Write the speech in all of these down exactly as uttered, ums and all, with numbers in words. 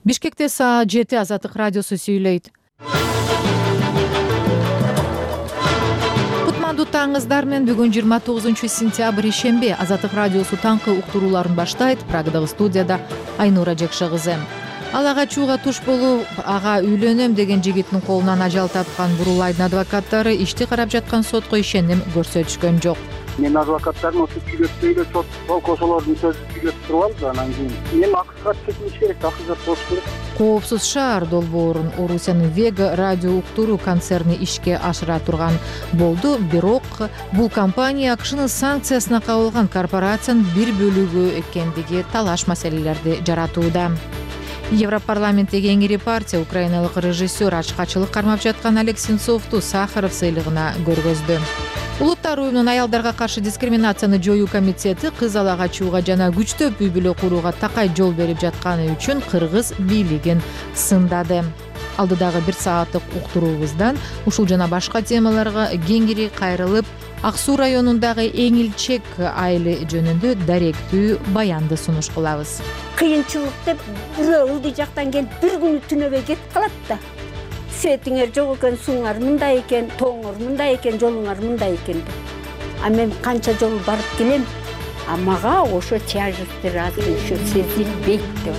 Бишкекте саат жети Азаттык радиосу сүйлөйт. Кутмандуу таңыңыздар менен. Бүгүн жыйырма тогузунчу сентябрь ишемби. Азаттык радиосу таңкы уктурууларын баштайт. Прагадагы студияда Айнура Жекше кызы. Ал ага чууга туш болуп, ага үйлөнөм деген жигиттин колунан ажал тапкан Бурулайдын адвокаттары ишти карап жаткан сотко ишеним көрсөтүшкөн жок. Мен адвокаттардын осы сүйлөтпөй эле сот сол кошолордун сөзүн сүйлөтүп туруп алды. Анан кийин мен акысга чекилиш керек, акысга болуш керек. Коопсуз шаар долбоорун Орусиянын Вега радио уктуруу концерни ишке ашыра турган болду. Бирок бул компания АКШнын санкциясына кабылган корпорациянын бир бөлүгү экендиги талаш маселелерди жаратууда. Европарламенттеги эң ири партия украиналык режиссер ачкачылык кармап жаткан Олег Сенцовду Сахаров сыйлыгына көргөздү. Улуттар уюмунун аялдарга каршы дискриминацияны жоюу комитети кыз алага чууга жана күчтөп үй бүлө курууга такай жол берип жатканы үчүн кыргыз бийлигин сындады. Алдыдагы бир сааттык уктуруубуздан ушул жана башка темаларга кеңири кайрылып, Ак Суу районундагы Эңилчек айылы жөнүндө даректүү баянды сунуш кылабыз. Кыйынчылык деп бирөө ылдый жактан келип бир күнү түнөбөй кетип калат да. Светиңер жок экен, сууңар мындай экен, тооңор мындай экен, жолуңар мындай экен деп. А мен канча жол барып келем, а мага ошо тяжесть азыр еще сезилбейт деп.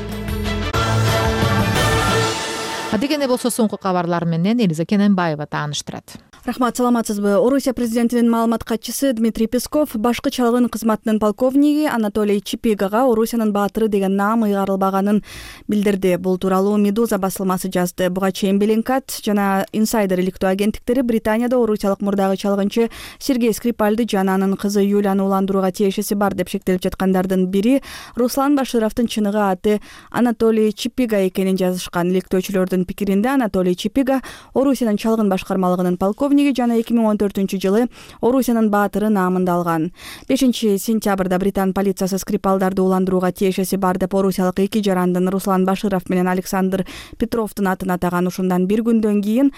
Адегенде болсо соңку кабарлар менен Элиза Кененбаева тааныштырат. Рахмат, саламатсызбы? Орусия президентинин маалымат катчысы Дмитрий Песков башкы чалгын кызматынын полковниги Анатолий Чипигага Орусиянын баатыры деген наам ыйгарылбаганын билдирди. Бул тууралуу Медуза басылмасы жазды. Буга чейин Беллинкат жана Инсайдер иликтөө агенттиктери Британияда орусиялык мурдагы чалгынчы Сергей Скрипальды жана анын кызы Юляны уландырууга тиешеси бар деп шектелип жаткандардын бири Руслан Башировдун чыныгы аты Анатолий Чипига экенин жазышкан. Иликтөөчүлөрдүн пикиринде Анатолий Чипига Орусиянын чалгын башкармалыгынын полковниги жана эки миң он төртүнчү жылы Орусиянын баатыры наамында алган. бешинчи сентябрда Британ полициясы Скрипалдарды уландырууга тиешеси бар деп орусиялык эки жарандын Руслан Баширов менен Александр Петровдун атын атаган. Ушундан бир күндөн кийин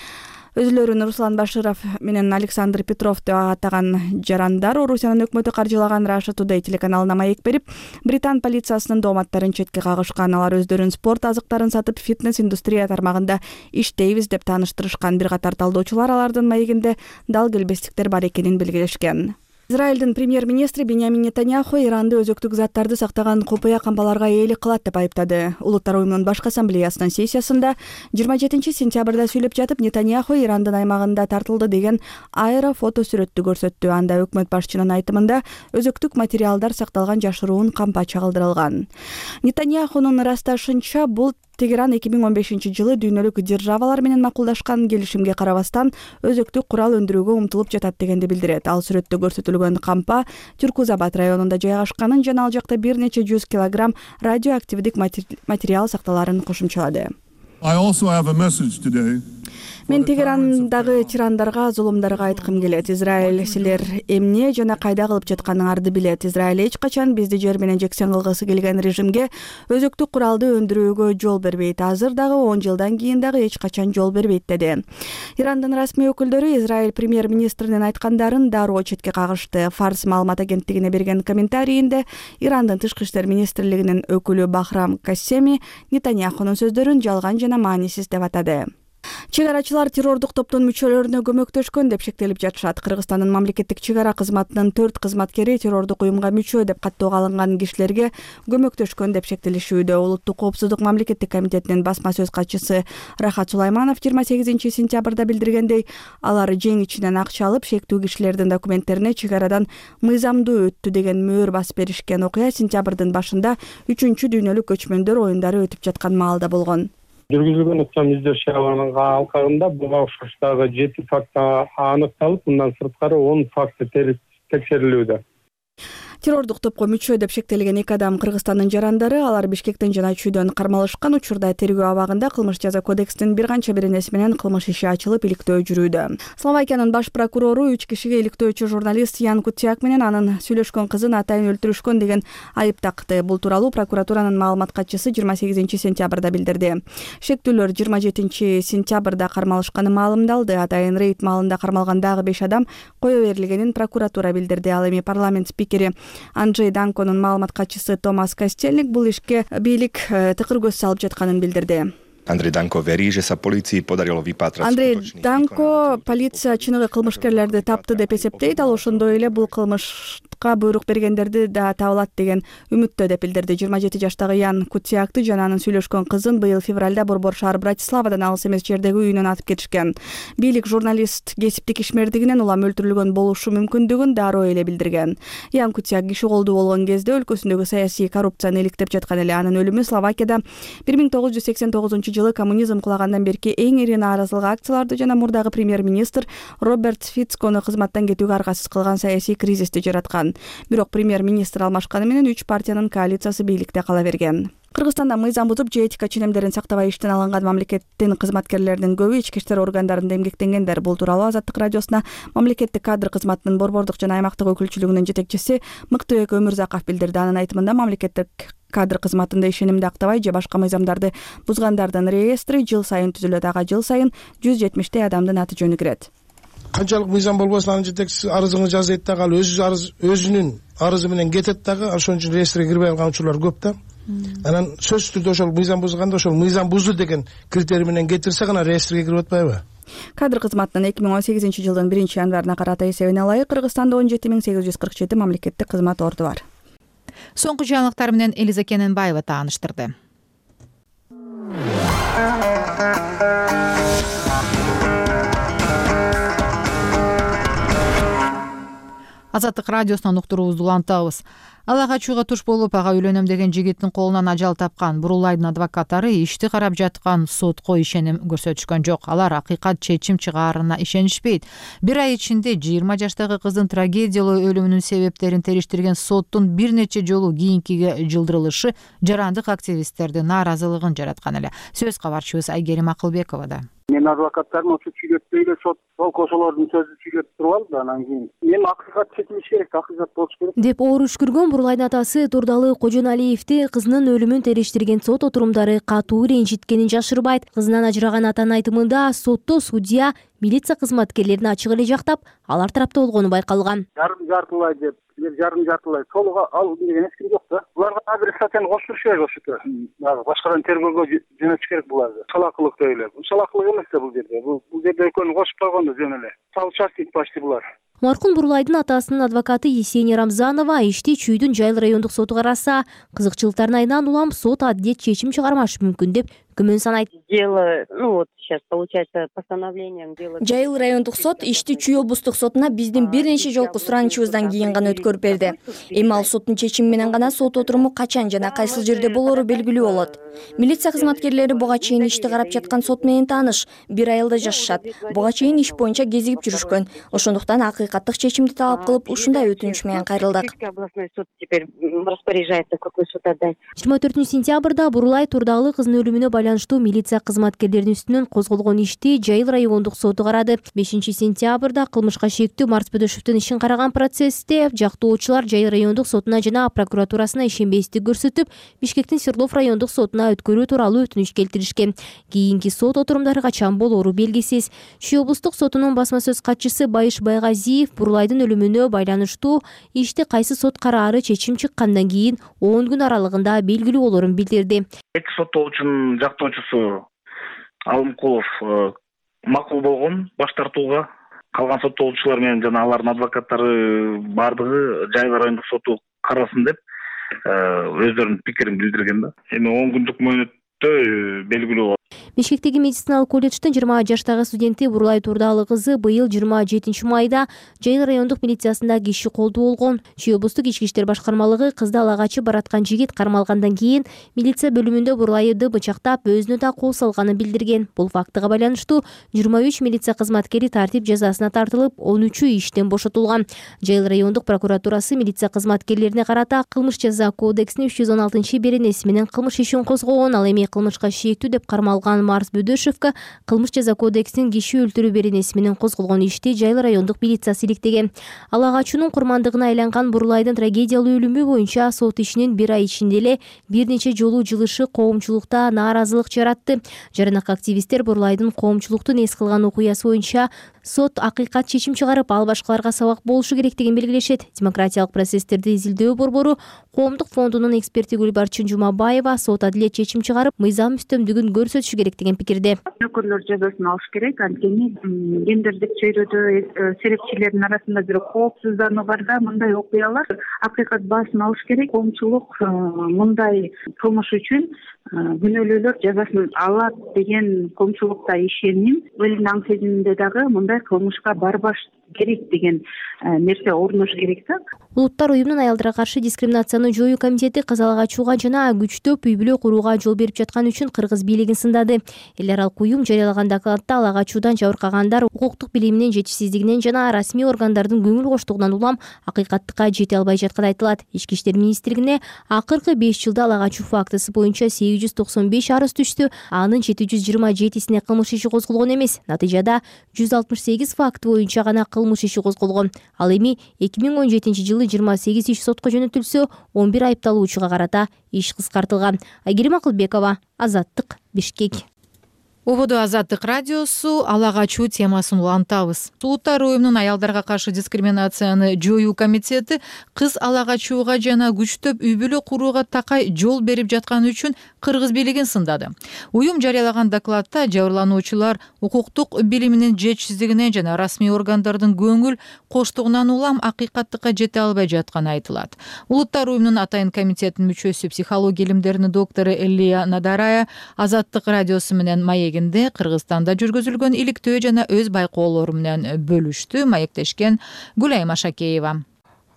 өзүлөрүн Руслан Баширов менен Александр Петров деп атаган жарандар Орусиянын өкмөтү каржылаган Russia Today телеканалына маек берип, Британ полициясынын дооматтарын четке кагышкан. Алар өздөрүн спорт азыктарын сатып, фитнес индустрия тармагында иштейбиз деп тааныштырышкан. Бир катар талдоочулар алардын маегинде дал келбестиктер бар экенин белгилешкен. Израилдин премьер-министри Беньямин Нетаньяху Иранды өзөктүк заттарды сактаган купуя кампаларга ээлик кылат деп айыптады. Улуттар уюмунун башкы ассамблеясынын сессиясында жыйырма жетинчи сентябрда сүйлөп жатып, Нетаньяху Ирандын аймагында тартылды деген аэро фото сүрөттү көрсөттү. Анда өкмөт башчынын айтымында өзөктүк материалдар сакталган жашыруун кампа чагылдырылган. Нетаньяхунун ырасташынча, бул Тегеран эки миң он бешинчи жылы дүйнөлүк державалар менен макулдашкан келишимге карабастан өзөктүк курал өндүрүүгө умтулуп жатат дегенди билдирет. Ал сүрөттө көрсөтүлгөн кампа Тюркузабад районунда жайгашканын жана ал жакта бир нече жүз килограмм радиоактивдик материал сакталарын кошумчалады. Мен Тегерандагы тирандарга, зулумдарга айткым келет. Израиль силер эмне жана кайда кылып жатканыңарды билет. Израиль эч качан бизди жер менен жексен кылгысы келген режимге өзөктүк куралды өндүрүүгө жол бербейт. Азыр дагы он жылдан кийин дагы эч качан жол бербейт деди. Ирандын расмий өкүлдөрү Израиль премьер-министринин айткандарын дароо четке кагышты. Фарс маалымат агенттигине берген комментарийинде Ирандын тышкы иштер министрлигинин өкүлү Бахрам Кассеми Нетаньяхунун сөздөрүн жалган жана маанисиз деп атады. Чек арачылар террордук топтун мүчөлөрүнө көмөктөшкөн деп шектелип жатышат. Кыргызстандын мамлекеттик чек ара кызматынын төрт кызматкери террордук уюмга мүчө деп каттоого алынган кишилерге көмөктөшкөн деп шектелишүүдө. Улуттук коопсуздук мамлекеттик комитетинин басма сөз катчысы Рахат Сулайманов жыйырма сегизинчи сентябрда билдиргендей, алар жең ичинен акча алып, шектүү кишилердин документтерине чек арадан мыйзамдуу өттү деген мөөр басып беришкен. Окуя сентябрдын башында үчүнчү дүйнөлүк көчмөндөр оюндары өтүп жаткан маалда болгон. Жүргүзүлгөн ыкчам издөө иш-чараларынын алкагында буга окшоштогу жети факт аныкталып, мындан сырткары он факты текшерилүүдө. Террордук топко мүчө деп шектелген эки адам Кыргызстандын жарандары. Алар Бишкектен жана Чүйдөн кармалышкан. Учурда тергөө абагында кылмыш жаза кодексинин бир канча беренеси менен кылмыш иши ачылып, иликтөө жүрүүдө. Словакиянын баш прокурору үч кишиге иликтөөчү журналист Ян Кутяк менен анын сүйлөшкөн кызын атайын өлтүрүшкөн деген айып такты. Бул тууралуу прокуратуранын маалымат катчысы жыйырма сегизинчи сентябрда билдирди. Шектүүлөр жыйырма жетинчи сентябрда кармалышканы маалымдалды. Атайын рейд маалында кармалган дагы беш адам кое берилгенин прокуратура билдирди. Ал эми парламент спикери Анджей Данконун маалымат катчысы Томас Костельник бул ишке бийлик тыкыр көз салып жатканын билдирди. Андрей Данко вери, že sa полиции подарило выпатрать. Андрей Данко полиция чыныгы кылмышкерлерди тапты деп эсептейт. Ал ошондой эле бул кылмышка буйрук бергендерди да табылат деген үмүттө деп билдирди. жыйырма жети жаштагы Ян Кутсиакты жана анын сүйлөшкөн кызын быйыл февралда Борбор шаар Братиславадан алыс эмес жердеги үйүнөн атып кетишкен. Бийлик журналист кесиптик ишмердигинен улам өлтүрүлгөн болушу мүмкүндүгүн дароо эле билдирген. Ян Кутсиак киши колдуу болгон кезде өлкөсүндөгү саясий коррупцияны иликтеп жаткан эле. Анын өлүмү Словакияда бир миң тогуз жүз сексен тогузунчу жылы коммунизм кулагандан берки эң ири нааразылык акцияларды жана мурдагы премьер-министр Роберт Фицкону кызматтан кетүүгө аргасыз кылган саясий кризисти жараткан. Бирок премьер-министр алмашканы менен үч партиянын коалициясы бийликте кала берген. Кыргызстанда мыйзам бузуп же этика ченемдерин сактабай иштен алынган мамлекеттин кызматкерлеринин көбү ички иштер органдарында эмгектенгендер. Бул тууралуу Азаттык радиосуна мамлекеттик кадр кызматынын борбордук жана аймактык өкүлчүлүгүнүн жетекчиси Мыктыбек Өмүрзаков билдирди. Анын айтымында мамлекеттик кадр кызматында ишенимди актабай же башка мыйзамдарды бузгандардын реестри жыл сайын түзүлөт. Ага жыл сайын жүз жетимиштей адамдын аты жөнү кирет. Канчалык мыйзам болбосун анын жетекчиси арызыңды жазайт дагы, ал өзү өзүнүн арызы менен кетет дагы, ошон үчүн реестриге кирбей алган учурлар көп да. Анан сөзсүз түрдө ошол мыйзам бузганда ошол мыйзам бузду деген критерий менен кетирсе гана реестриге кирип атпайбы? Кадр кызматынын эки миң он сегизинчи жылдын биринчи январына карата эсебине ылайык Кыргызстанда он жети миң сегиз жүз кырк жети мамлекеттик кызмат орду бар. Соңку жаңылыктар менен Элиза Кененбаева тааныштырды. Азаттык радиосунан уктуруубузду улантабыз. Ала качууга туш болуп, ага үйлөнөм деген жигиттин колунан ажал тапкан Бурулайдын адвокаттары ишти карап жаткан сотко ишеним көрсөтүшкөн жок. Алар акыйкат чечим чыгаарына ишенишпейт. Бир ай ичинде жыйырма жаштагы кыздын трагедиялуу өлүмүнүн себептерин териштирген соттун бир нече жолу кийинкиге жылдырылышы жарандык активисттердин нааразылыгын жараткан эле. Сөз кабарчыбыз Айгерим Акылбековада. Мен адвокаттарым ошо сүйлөтпөй эле сот кошолордун сөзүн сүйлөтүп туруп алды. Анан кийин эми акыйкат чечилиш керек, акыйкат болуш керек деп оор үшкүргөн Бурулайдын атасы Турдалы Кожоналиевди кызынын өлүмүн териштирген сот отурумдары катуу ренжиткенин жашырбайт. Кызынан ажыраган атанын айтымында сотто судья милиция кызматкерлерин ачык эле жактап, алар тарапта болгону байкалган. Жарым жартылай деп, жарым жартылай толук ал деген эч ким жок да. Буларга бир статьяны кошуш керек ошото. Башкадан тергөөгө жөнөтүш керек буларды. Салакылык деп эле. Бул салакылык эмес да бул жерде. Бул бул жерде экөөнү кошуп койгондо жөн эле. Соучастник почти булар. Маркум Бурулайдын атасынын адвокаты Есения Рамзанова ишти Чүйдүн Жайыл райондук соту караса, кызыкчылыктардын айынан улам сот адилет чечим чыгармашы мүмкүн деп күмөн санайт. Дело, ну вот сейчас получается постановлением дело. Жайыл райондук сот ишти Чүй облустук сотуна биздин бир нече жолку суранычыбыздан кийин гана өткөрүп берди. Эми ал соттун чечими менен гана сот отуруму качан жана кайсыл жерде болору белгилүү болот. Милиция кызматкерлери буга чейин ишти карап жаткан сот менен тааныш, бир айылда жашашат. Буга чейин иш боюнча кезигип жүрүшкөн. Ошондуктан акыйкаттык чечимди талап кылып, ушундай өтүнүч менен кайрылдык. Областной суд теперь распоряжается, какой суд отдать. жыйырма төртүнчү сентябрда Бурулай Турдагы кыздын өлүмүнө байланыштуу милиция кызматкерлеринин үстүнөн козголгон ишти Жайыл райондук соту карады. бешинчи сентябрда кылмышка шектүү Марс Бөдөшевдин ишин караган процессте жактоочулар Жайыл райондук сотуна жана прокуратурасына ишенбестик көрсөтүп, Бишкектин Свердлов райондук сотуна өткөрүү тууралуу өтүнүч келтиришкен. Кийинки сот отурумдары качан болору белгисиз. Чүй облустук сотунун басма сөз катчысы Байыш Байгазиев Бурулайдын өлүмүнө байланыштуу ишти кайсы сот караары чечим чыккандан кийин он күн аралыгында белгилүү болорун билдирди. Эки соттоочунун жактоочусу Алымкулов макул болгон баш тартууга, калган соттоочулар менен жана алардын адвокаттары бардыгы Жайыл райондук соту карасын деп өздөрүнүн пикирин билдирген да. Эми он күндүк мөөнөттө белгилүү болот. Бишкектеги медициналык колледждин жыйырма жаштагы студенти Бурулай Турдалы кызы быйыл жыйырма жетинчи майда Жайыл райондук милициясында киши колдуу болгон. Чүй облустук ички иштер башкармалыгы кызды ала качып бараткан жигит кармалгандан кийин милиция бөлүмүндө Бурулайды бычактап өзүнө да кол салганын билдирген. Бул фактыга байланыштуу жыйырма үч милиция кызматкери тартип жазасына тартылып, он үчү иштен бошотулган. Жайыл райондук прокуратурасы милиция кызматкерлерине карата кылмыш жаза кодексинин үч жүз он алтынчы беренеси менен кылмыш ишин козгогон. Ал эми кылмышка шектүү деп кармалган жана Марс Бөдөшевго кылмыш жаза кодексинин киши өлтүрүү беренеси менен козголгон ишти Жайыл райондук милициясы иликтеген. Ала качуунун курмандыгына айланган Бурулайдын трагедиялуу өлүмү боюнча сот ишинин бир ай ичинде эле бир нече жолу жылышы коомчулукта нааразылык жаратты. Жаранак активисттер Бурулайдын коомчулуктун эс кылган окуясы боюнча сот акыйкат чечим чыгарып, ал башкаларга сабак болушу керектигин белгилешет. Демократиялык процесстерди изилдөө борбору коомдук фондунун эксперти Гүлбарчын Жумабаева сот адилет чечим чыгарып, мыйзам үстөмдүгүн көрсөтүшү керектигин пикирде. Өкүлдөр жазасын алыш керек, анткени гендердик чөйрөдө серепчилердин арасында бир коопсуздануу бар да, мындай окуялар акыйкат баасын алыш керек. Коомчулук мындай кылмыш үчүн күнөөлүүлөр жазасын алат деген коомчулукта ишеним. Өзүнүн аң сезиминде дагы мындай кылмышка барбаш керек деген нерсе орнош керек да. Улуттар уюмунун аялдарга каршы дискриминацияны жоюу комитети кыз ала качууга жана күчтөп үй бүлө курууга жол берип жаткан үчүн Кыргыз бийлигин сындады. Эл аралык уюм жарыялаган докладда ала качуудан жабыркагандар укуктук билиминин жетишсиздигинен жана расмий органдардын көңүл коштугунан улам акыйкаттыкка жете албай жатканы айтылат. Ички иштер министрлигине акыркы беш жылда ала качуу фактысы боюнча сегиз жүз токсон беш арыз түштү, анын жети жүз жыйырма жетисине кылмыш иши козголгон эмес. Натыйжада жүз алтымыш сегиз факт боюнча гана кылмыш иши козголгон. Ал эми эки миң он жетинчи жылы жыйырма сегиз иш сотко жөнөтүлсө, он бир айыпталуучуга карата иш кыскартылган. Айгерим Акылбекова, Азаттык, Бишкек. Ободо Азаттык радиосу ала качуу темасын улантабыз. Улуттар уюмунун аялдарга каршы дискриминацияны жоюу комитети кыз ала качууга жана күчтөп үй бүлө курууга такай жол берип жатканы үчүн Кыргыз бийлигин сындады. Уюм жарыялаган докладта жабырлануучулар укуктук билиминин жетишсиздигинен жана расмий органдардын көңүл коштугунан улам акыйкаттыкка жете албай жатканы айтылат. Улуттар уюмунун атайын комитетинин мүчөсү, психология илимдеринин доктору Элия Надарая Азаттык радиосу менен маек Кыргызстанда жүргүзүлгөн иликтөө жана өз байкоолору менен бөлүштү. Маектешкен Гүлайым Ашакеева.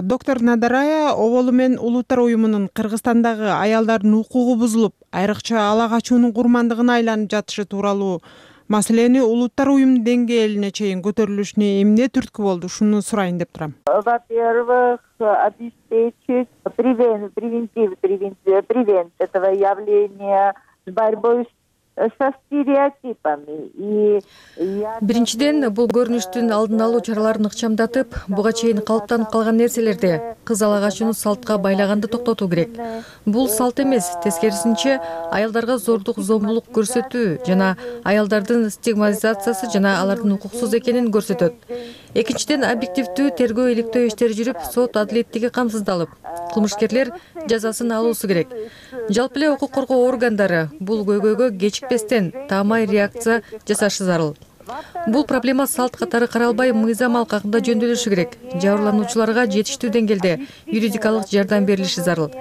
Доктор Надарая оболу менен Улуттар уюмунун Кыргызстандагы аялдардын укугу бузулуп, айрыкча ала качуунун курмандыгына айланып жатышы тууралуу маселени Улуттар уюмунун деңгээлине чейин көтөрүлүшүнө эмне түрткү болду, ушуну сурайын деп турам. Во-первых, обеспечить превентив превент этого явления с борьбой со стереотипами. И биринчиден, бул көрүнүштүн алдын алуу чараларын ыкчамдатып, буга чейин калыптанып калган нерселерди, кыз ала качууну салтка байлаганды токтотуу керек. Бул салт эмес, тескерисинче аялдарга зордук, зомбулук көрсөтүү жана аялдардын стигматизациясы жана алардын укуксуз экенин көрсөтөт. Экинчиден, объективдүү тергөө иликтөө иштери жүрүп, сот адилеттиги камсыздалып, кылмышкерлер жазасын алуусу керек. Жалпы эле укук коргоо органдары бул көйгөйгө кечикпестен таамай реакция жасашы зарыл. Бул проблема салт катары каралбай, мыйзам алкагында жөндөтүлүшү керек. Жабырлануучуларга жетиштүү деңгээлде юридикалык жардам берилиши зарыл.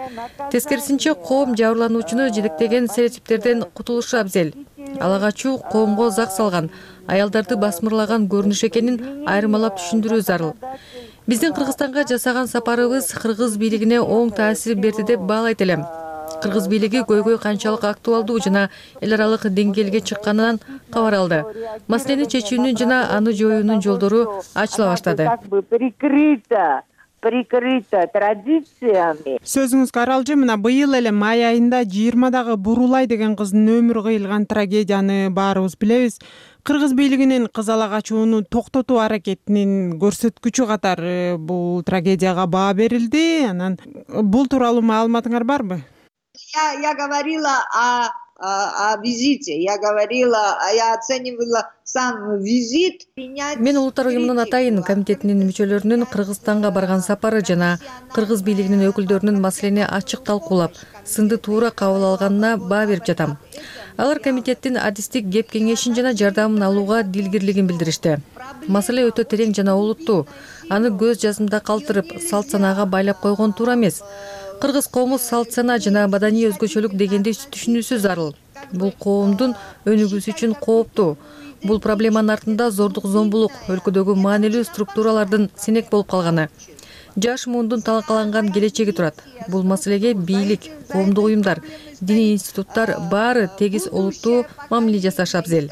Тескерисинче, коом жабырлануучуну жетектеген стереотиптерден кутулушу абзел. Ала качуу коомго зак салган, аялдарды басмырлаган көрүнүш экенин айырмалап түшүндүрүү зарыл. Биздин Кыргызстанга жасаган сапарыбыз Кыргыз бийлигине оң таасир берди деп баалайт элем. Кыргыз бийлиги көйгөй канчалык актуалдуу жана эл аралык деңгээлге чыкканынан кабар алды. Маселени чечүүнүн жана аны жоюунун жолдору ачыла баштады. Прикрыто традициями. Сөзүңүзгө аралжы, мына быйыл эле май айында жыйырмадагы Бурулай деген кыздын өмүрү кыйылган трагедияны баарыбыз билебиз. Кыргыз бийлигинин кыз ала качууну токтотуу аракетинин көрсөткүчү катары бул трагедияга баа берилди. Анан бул тууралуу маалыматыңар барбы? Я, я говорила о, о, о визите, я говорила, я оценивала сам визит. Мен Улуттар уюмунун атайын комитетинин мүчөлөрүнүн Кыргызстанга барган сапары жана Кыргыз бийлигинин өкүлдөрүнүн маселени ачык талкуулап, сынды туура кабыл алганына баа берип жатам. Алар комитеттин адистик кеп кеңешин жана жардамын алууга дилгирлигин билдиришти. Маселе өтө терең жана олуттуу. Аны көз жазымда калтырып, салт санаага байлап койгон туура эмес. Кыргыз коому салт сана жана маданий өзгөчөлүк дегенди түшүнүүсү зарыл. Бул коомдун өнүгүүсү үчүн кооптуу. Бул проблеманын артында зордук, зомбулук, өлкөдөгү маанилүү структуралардын сенек болуп калганы, жаш муундун талкаланган келечеги турат. Бул маселеге бийлик, коомдук уюмдар, диний институттар баары тегиз олуттуу мамиле жасашы абзел.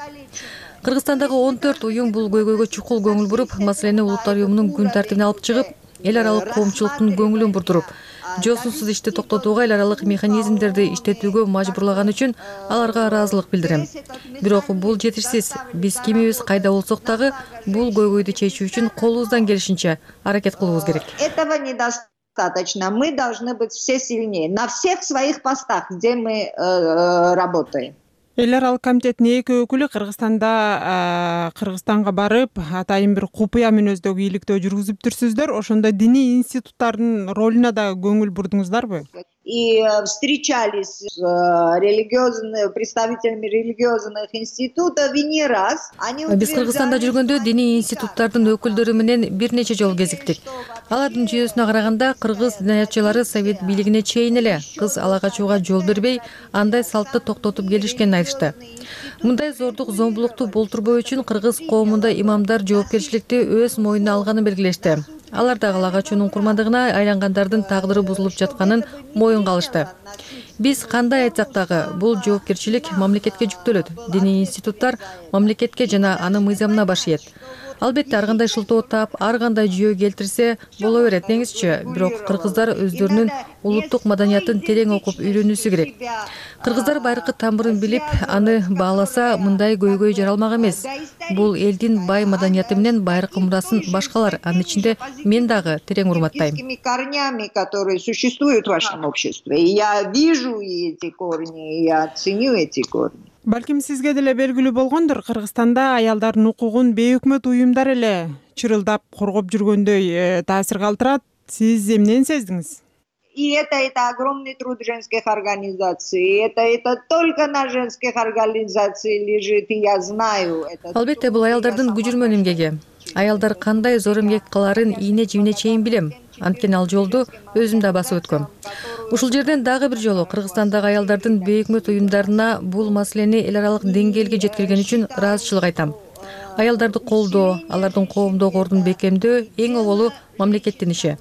Кыргызстандагы он төрт уюм бул көйгөйгө чукул көңүл буруп, маселени Улуттар уюмунун күн тартибине алып чыгып, эл аралык коомчулуктун көңүлүн бурдуруп, жосунсуз ишти токтотууга эл аралык механизмдерди иштетүүгө мажбурлаган үчүн аларга ыраазылык билдирем. Бирок бул жетишсиз. Биз кимибиз кайда болсок дагы бул көйгөйдү чечүү үчүн колубуздан келишинче аракет кылуубуз керек. Этого недостаточно. Мы должны быть все сильнее на всех своих постах, где мы э, работаем. Эл аралык комитеттин эки өкүлү Кыргызстанда Кыргызстанга барып, атайын бир купуя мүнөздөгү ийгиликтөө жүргүзүптүрсүздөр. Ошондо диний институттардын ролуна да көңүл бурдуңуздарбы? И встречались с религиозными представителями религиозных институтов и не раз. Биз Кыргызстанда жүргөндө диний институттардын өкүлдөрү менен бир нече жолу кезиктик. Алардын жүйөсүнө караганда кыргыз диниятчылары совет бийлигине чейин эле кыз ала качууга жол бербей, андай салтты токтотуп келишкенин айтышты. Мындай зордук зомбулукту болтурбоо үчүн кыргыз коомунда имамдар жоопкерчиликти өз мойнуна алганын белгилешти. Алар да ала качуунун курмандыгына айлангандардын тагдыры бузулуп жатканын моюнга алышты. Биз кандай айтсак дагы бул жоопкерчилик мамлекетке жүктөлөт. Диний институттар мамлекетке жана анын мыйзамына баш ийет. Албетте ар кандай шылтоо таап, ар кандай жүйө келтирсе боло берет деңизчи, бирок кыргыздар өздөрүнүн улуттук маданиятын терең окуп үйрөнүүсү керек. Кыргыздар байыркы тамырын билип, аны бааласа, мындай көйгөй жаралмак эмес. Бул элдин бай маданияты менен байыркы мурасын башкалар, анын ичинде мен дагы терең урматтайм. Корнями, которые существуют в вашем обществе. Я вижу эти корни, я ценю эти корни. Балким сизге деле белгилүү болгондур, Кыргызстанда аялдардын укугун бейөкмөт уюмдар эле чырылдап коргоп жүргөндөй таасир калтырат. Сиз эмнени сездиңиз? И это это огромный труд женских организаций. Это это только на женских организациях лежит, и я знаю это. Албетте бул аялдардын күжүрмөн эмгеги. Аялдар кандай зор эмгек кыларын ийне жибине чейин билем. Анткени ал жолду өзүм да басып өткөм. Ушул жерден дагы бир жолу Кыргызстандагы аялдардын бейөкмөт уюмдарына бул маселени эл аралык деңгээлге жеткирген үчүн ыраазычылык айтам. Аялдарды колдоо, алардын коомдогу ордун бекемдөө эң оболу мамлекеттин иши.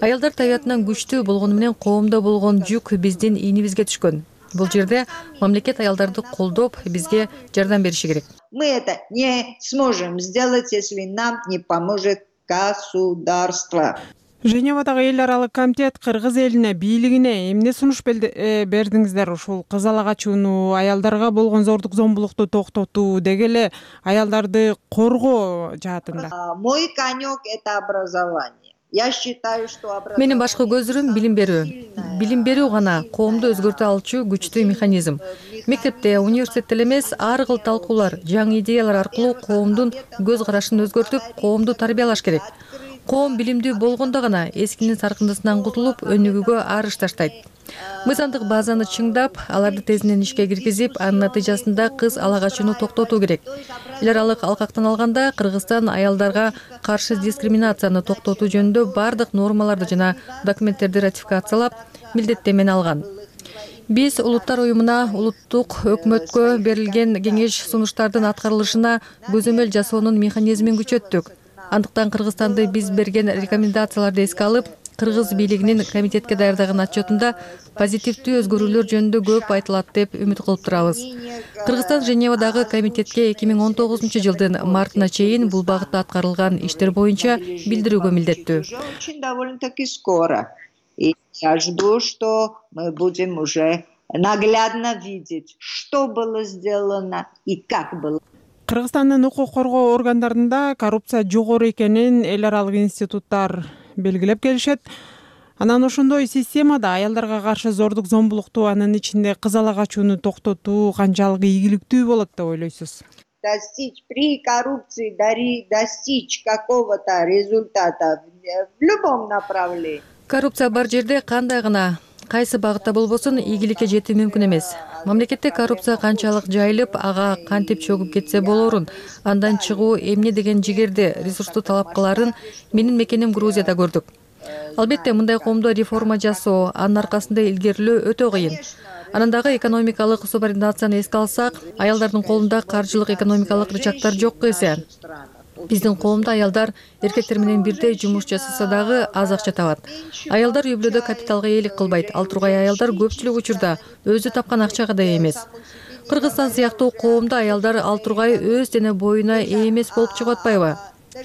Аялдар табиятынан күчтүү болгону менен коомдо болгон жүк биздин ийнибизге түшкөн. Бул жерде мамлекет аялдарды колдоп, бизге жардам бериши керек. Мы это не сможем сделать, если нам не поможет государство. Женевадагы эл аралык комитет кыргыз элине, бийлигине эмне сунуш бердиңиздер? Ушул кыз ала качууну, аялдарга болгон зордук зомбулукту токтотуу, деги эле аялдарды коргоо жаатында. Мой конек это образование. Я считаю, что образование. Менин башкы көзүрүм билим берүү. Билим берүү гана коомду өзгөртө алчу күчтүү механизм. Мектепте, университетте эмес, ар кыл талкуулар, жаңы идеялар аркылуу коомдун көз карашын өзгөртүп, коомду тарбиялаш керек. Коом билимдүү болгондо гана эскинин саркындысынан кутулуп, өнүгүүгө арыш таштайт. Мыйзамдык базаны чыңдап, аларды тезинен ишке киргизип, анын натыйжасында кыз ала качууну токтотуу керек. Эл аралык алкактан алганда Кыргызстан аялдарга каршы дискриминацияны токтотуу жөнүндө бардык нормаларды жана документтерди ратификациялап, милдеттенмени алган. Биз улуттар уюмуна, улуттук өкмөткө берилген кеңеш сунуштардын аткарылышына көзөмөл жасоонун механизмин күчөттүк. Андыктан Кыргызстанды биз берген рекомендацияларды эске алып, кыргыз бийлигинин комитетке даярдаган отчетунда позитивдүү өзгөрүүлөр жөнүндө көп айтылат деп үмүт кылып турабыз. Кыргызстан Женевадагы комитетке эки миң он тогузунчу жылдын мартына чейин бул багытта аткарылган иштер боюнча билдирүүгө милдеттүү. Очень довольно-таки скоро. И я жду, что мы будем уже наглядно видеть, что было сделано и как было. Кыргызстандын укук коргоо органдарында коррупция жогору экенин эл аралык институттар белгилеп келишет. Анан ошондой системада аялдарга каршы зордук зомбулукту, анын ичинде кыз ала качууну токтотуу канчалык ийгиликтүү болот деп ойлойсуз? Достичь при коррупции, достичь какого-то результата в любом направлении. Коррупция бар жерде кандай гана кайсы багытта болбосун ийгиликке жетүү мүмкүн эмес. Мамлекетте коррупция канчалык жайылып, ага кантип чөгүп кетсе болорун, андан чыгуу эмне деген жигерди, ресурсту талап кыларын менин мекеним Грузияда көрдүк. Албетте мындай коомдо реформа жасоо, анын аркасында илгерилөө өтө кыйын. Анан дагы экономикалык субординацияны эске алсак, аялдардын колунда каржылык экономикалык рычагдар жок эсе. Биздин коомдо аялдар эркектер менен бирдей жумуш жасаса дагы аз акча табат. Аялдар үй бүлөдө капиталга ээлик кылбайт. Ал тургай аялдар көпчүлүк учурда өзү тапкан акчага да ээ эмес. Кыргызстан сыяктуу коомдо аялдар ал тургай өз дене боюна ээ эмес болуп чыгып атпайбы?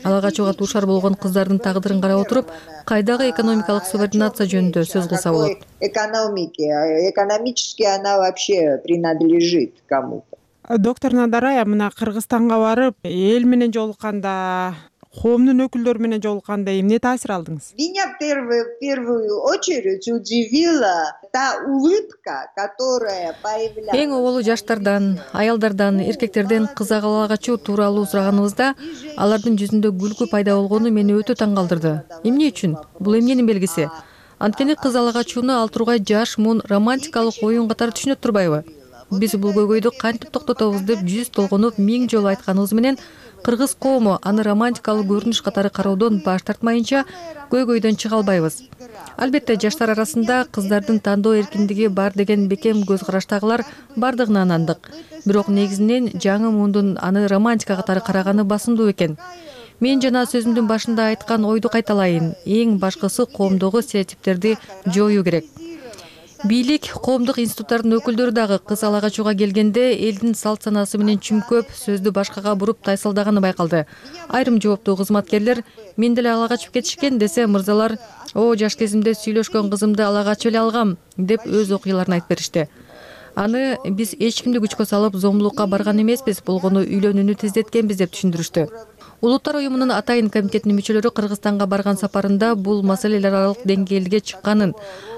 ала качууга дуушар болгон кыздардын тагдырын карап отуруп, кайдагы экономикалык субординация жөнүндө сөз кылса болот. Экономики, экономически она вообще принадлежит кому-то. Доктор Надарая, мына Кыргызстанга барып, эл менен жолукканда, коомдун өкүлдөрү менен жолукканда эмне таасир алдыңыз? Меня в первую, в первую очередь удивила та улыбка, которая появлялась. Эң оболу жаштардан, аялдардан, эркектерден кыз ала качуу тууралуу сураганыбызда алардын жүзүндө күлкү пайда болгону мени өтө таң калтырды. Эмне үчүн? Бул эмненин белгиси? Анткени кыз ала качууну ал тургай жаш, муун романтикалык оюн катары түшүнөт турбайбы? Биз бул көйгөйдү кантип токтотобуз деп жүз толгонуп миң жолу айтканыбыз менен кыргыз коому аны романтикалык көрүнүш катары кароодон баш тартмайынча көйгөйдөн чыга албайбыз. Албетте жаштар арасында кыздардын тандоо эркиндиги бар деген бекем көз караштагылар бардыгына ынандык. Бирок негизинен жаңы муундун аны романтика катары караганы басымдуу экен. Мен жана сөзүмдүн башында айткан ойду кайталайын. Эң башкысы коомдогу стереотиптерди жоюу керек. Бийлик, коомдук институттардын өкүлдөрү дагы кыз ала качууга келгенде элдин салт санаасы менен чүмкөп, сөздү башкага буруп тайсалдаганы байкалды. Айрым жооптуу кызматкерлер мен деле ала качып кетишкен десе, мырзалар «О, жаш кезимде сүйлөшкөн кызымды ала качып эле алгам» деп өз окуяларын айтып беришти. Аны биз эч кимди күчкө салып зомбулукка барган эмеспиз, болгону үйлөнүүнү тездеткенбиз деп түшүндүрүштү. Улуттар уюмунун атайын комитетинин мүчөлөрү Кыргызстанга барган сапарында бул маселелер аралык деңгээлге чыкканын,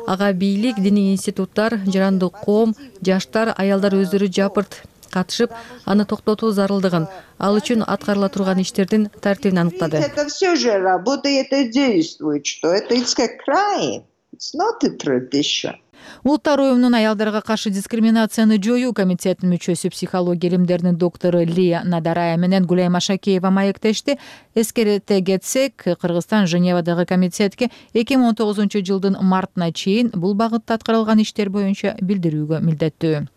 ага бийлик, диний институттар, жарандык коом, жаштар, аялдар өздөрү жапырт катышып, аны токтотуу зарылдыгын, ал үчүн аткарыла турган иштердин тартибин аныктады. Это все же работает и действует, что это it's a crime, it's not a tradition. Улуттар уюмунун аялдарга каршы дискриминацияны жоюу комитетинин мүчөсү психология илимдеринин доктору Лия Надарая менен Гулайма Шакеева маектешти. Эскерте кетсек, Кыргызстан Женевадагы комитетке эки миң он тогузунчу жылдын мартына чейин бул багытта аткарылган иштер боюнча билдирүүгө милдеттүү.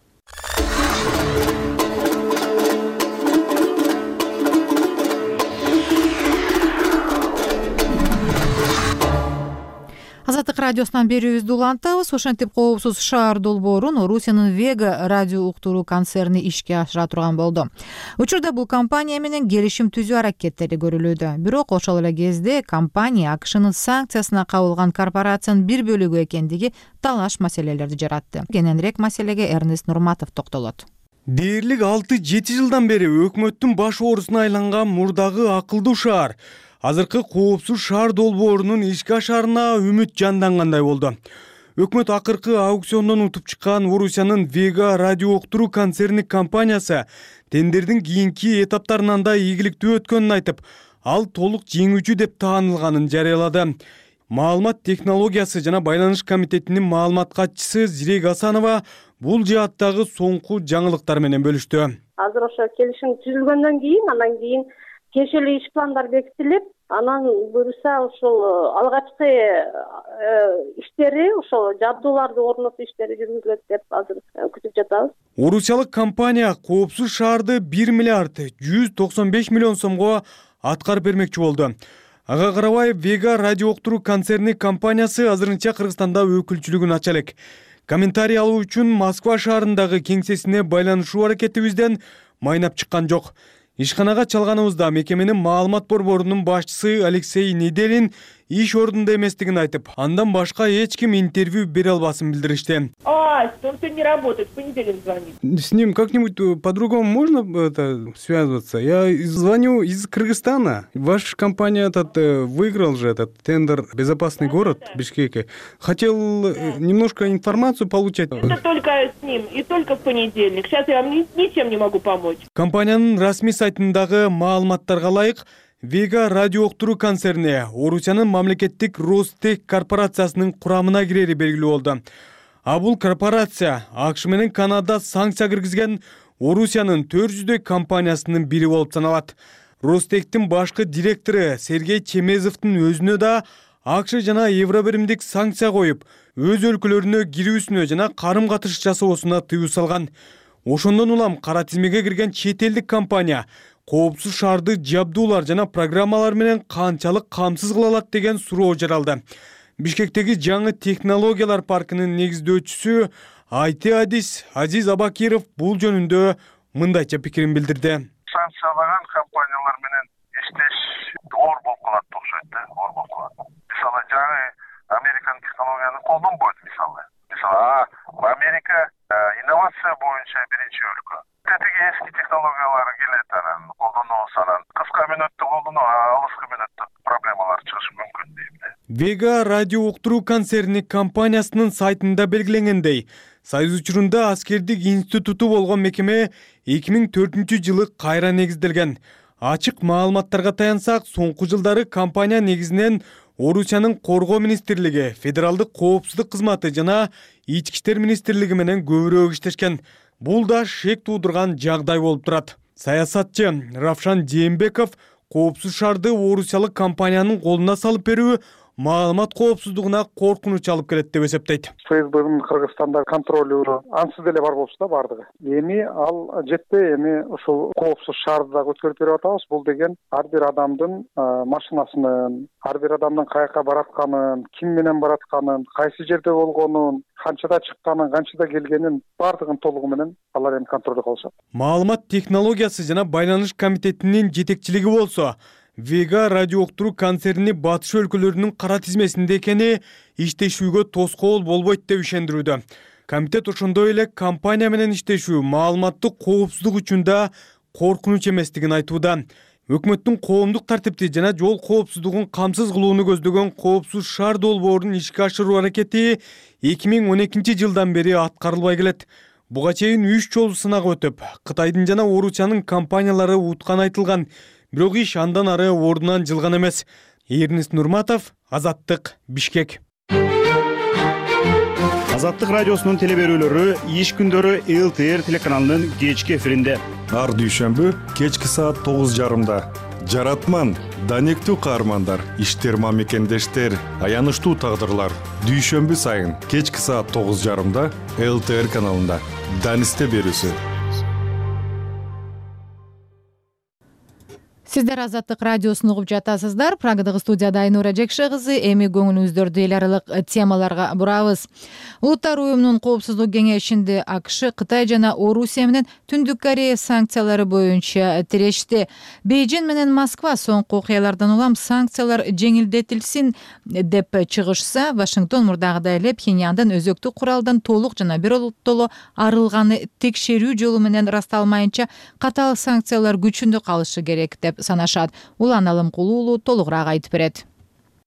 Азаттык радиосунан берүүбүздү улантабыз. Ошентип коопсуз шаар долбоорун Орусиянын Вега радио уктуруу концерни ишке ашыра турган болду. Учурда бул компания менен келишим түзүү аракеттери көрүлүүдө. Бирок ошол эле кезде компания АКШнын санкциясына кабылган корпорациянын бир бөлүгү экендиги талаш маселелерди жаратты. Кененирээк маселеге Эрнест Нурматов токтолот. Дээрлик алты жети жылдан бери өкмөттүн баш оорусуна айланган мурдагы акылдуу шаар азыркы коопсуз шаар долбоорунун ишке ашаарына үмүт жандангандай болду. Өкмөт акыркы аукциондон утуп чыккан Орусиянын Вега радио уктуруу концерни компаниясы тендердин кийинки этаптарынан да ийгиликтүү өткөнүн айтып, ал толук жеңүүчү деп таанылганын жарыялады. Маалымат технологиясы жана байланыш комитетинин маалымат катчысы Зирек Асанова бул жааттагы соңку жаңылыктар менен бөлүштү. Азыр ошо келишим түзүлгөндөн кийин, андан кийин кешелүү иш пландар бекитилип, анан буюрса ошол алгачкы иштери, ошол жабдууларды орнотуу иштери жүргүзүлөт деп азыр күтүп жатабыз. Орусиялык компания коопсуз шаарды бир миллиард жүз токсон беш миллион сомго аткарып бермекчи болду. Ага карабай Вега радио уктуруу концерни компаниясы азырынча Кыргызстанда өкүлчүлүгүн ача элек. Комментарий алуу үчүн Москва шаарындагы кеңсесине байланышуу аракетибизден майнап чыккан жок. Ишканага чалганыбызда мекеменин маалымат борборунун башчысы Алексей Неделин иш ордунда эместигин айтып, андан башка эч ким интервью бере албасын билдиришти. А, он сегодня не работает, в понедельник звонит. С ним как-нибудь по-другому можно это связываться? Я звоню из Кыргызстана. Ваша компания этот выиграл же этот тендер «Безопасный город» в Бишкеке. Хотел немножко информацию получать. Это только с ним и только в понедельник. Сейчас я вам ни, ничем не могу помочь. Компаниянын расмий сайтындагы маалыматтарга ылайык, Вега радио уктуруу концерни Орусиянын мамлекеттик Ростех корпорациясынын курамына кирери белгилүү болду. А бул корпорация АКШ менен Канада санкция киргизген Орусиянын төрт жүздөй компаниясынын бири болуп саналат. Ростехтин башкы директору Сергей Чемезовдун өзүнө да АКШ жана Евробиримдик санкция коюп, өз өлкөлөрүнө кирүүсүнө жана карым-катыш жасоосуна тыюу салган. Ошондон улам кара тизмеге кирген чет элдик компания коопсуз шаарды жабдуулар жана программалар менен канчалык камсыз кыла алат деген суроо жаралды. Бишкектеги жаңы технологиялар паркынын негиздөөчүсү ай ти адис Азиз Абакиров бул жөнүндө мындайча пикирин билдирди. Санкциялаган компаниялар менен иштеш оор болуп калат окшойт да, оор болуп калат. Мисалы жаңы Американын технологияны колдонбойт мисалы. Мисалы Америка инновация боюнча биринчи өлкө. Тетиги эски технологиялар келет, анан колдонобуз, анан кыска мүнөттө колдонуп, алыскы мүнөттө проблемалар чыгышы мүмкүн дейм да. Vega радио уктуруу концерни компаниясынын сайтында белгиленгендей, Союз учурунда аскердик институту болгон мекеме эки миң төртүнчү жылы кайра негизделген. Ачык маалыматтарга таянсак, соңку жылдары компания негизинен Орусиянын Коргоо министрлиги, Федералдык коопсуздук кызматы жана Ички иштер министрлиги менен көбүрөөк иштешкен. Бул да шек туудурган жагдай болуп турат. Саясатчы Равшан Жээнбеков коопсуз шаарды орусиялык компаниянын колуна салып берүү маалымат коопсуздугуна коркунуч алып келет деп эсептейт. ФСБнын Кыргызстанда контролю ансыз деле бар болчу да бардыгы. Эми ал жетпей, эми ушул коопсуз шаарды дагы өткөрүп берип атабыз. Бул деген ар бир адамдын машинасынын, ар бир адамдын каяка баратканын, ким менен баратканын, кайсы жерде болгонун, канчада чыкканын, канчада келгенин бардыгын толугу менен алар эми контролдо кылышат. Маалымат технологиясы жана байланыш комитетинин жетекчилиги болсо, Vega радио уктуруу концерни батыш өлкөлөрүнүн кара тизмесинде экени иштешүүгө тоскоол болбойт деп ишендирүүдө. Комитет ошондой эле компания менен иштешүү маалыматтык коопсуздук үчүн да коркунуч эместигин айтууда. Өкмөттүн коомдук тартипти жана жол коопсуздугун камсыз кылууну көздөгөн коопсуз шаар долбоорун ишке ашыруу аракети эки миң он экинчи жылдан бери аткарылбай келет. Буга чейин үч жолу сынак өтүп, Кытайдын жана Орусиянын компаниялары уткан айтылган. Бирок иш андан ары ордунан жылган эмес. Эрнест Нурматов, Азаттык, Бишкек. Азаттык радиосунун телеберүүлөрү иш күндөрү эл тэ эр телеканалынын кечки эфиринде. Ар дүйшөмбү кечки саат тогуз жарымда. Жаратман, данектүү каармандар, иштерма мекендештер, аянычтуу тагдырлар. Дүйшөмбү сайын кечки саат тогуз жарымда эл тэ эр каналында. Данисте берүүсү. Сиздер Азаттык радиосун угуп жатасыздар. Прагадагы студияда Айнура Жекше кызы. Эми көңүлүңүздөрдү эл аралык темаларга бурабыз. Улуттар уюмунун коопсуздук кеңешинде АКШ, Кытай жана Орусия менен Түндүк Корея санкциялары боюнча тирешти. Бейжин менен Москва соңку окуялардан улам санкциялар жеңилдетилсин деп чыгышса, Вашингтон мурдагыдай эле Пхеньяндан өзөктүк куралдан толук жана биротоло арылганы текшерүү жолу менен ырасталмайынча катаал санкциялар күчүндө калышы керек деп санашат. Улан Алымкулуулу толугураак айтып берет.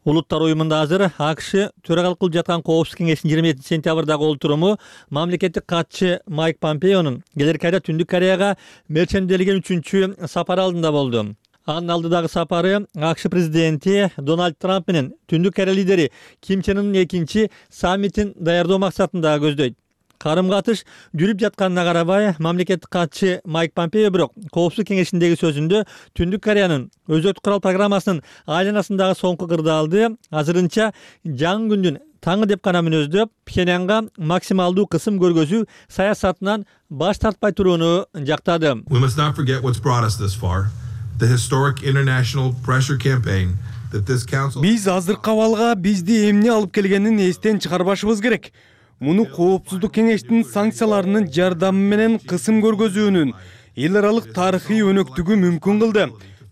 Улуттар уюмунда азыр АКШ төрагалык кылып жаткан коопсуздук кеңешинин жыйырма жетинчи сентябрдагы олтуруму мамлекеттик катчы Майк Помпеонун келерки айда Түндүк Кореяга мерченделген үчүнчү сапары алдында болду. Анын алдыдагы сапары АКШ президенти Дональд Трамп менен Түндүк Корея лидери Ким Чен Ынын экинчи саммитин даярдоо максатында көздөйт. Карым-катыш жүрүп жатканына карабай, мамлекеттик катчы Майк Помпео бирок коопсуздук кеңешиндеги сөзүндө Түндүк Кореянын өзөктүк курал программасынын айланасындагы соңку кырдаалды азырынча жаңы күндүн таңы деп гана мүнөздөп, Пхеньянга максималдуу кысым көргөзүү саясатынан баш тартпай турууну жактады. We must not forget what's brought us this far. The historic international pressure campaign that this council Биз азыркы абалга бизди эмне алып келгенин эстен чыгарбашыбыз керек. Муну коопсуздук кеңештин санкцияларынын жардамы менен кысым көргөзүүнүн эл аралык тарыхый өнөктүгү мүмкүн кылды.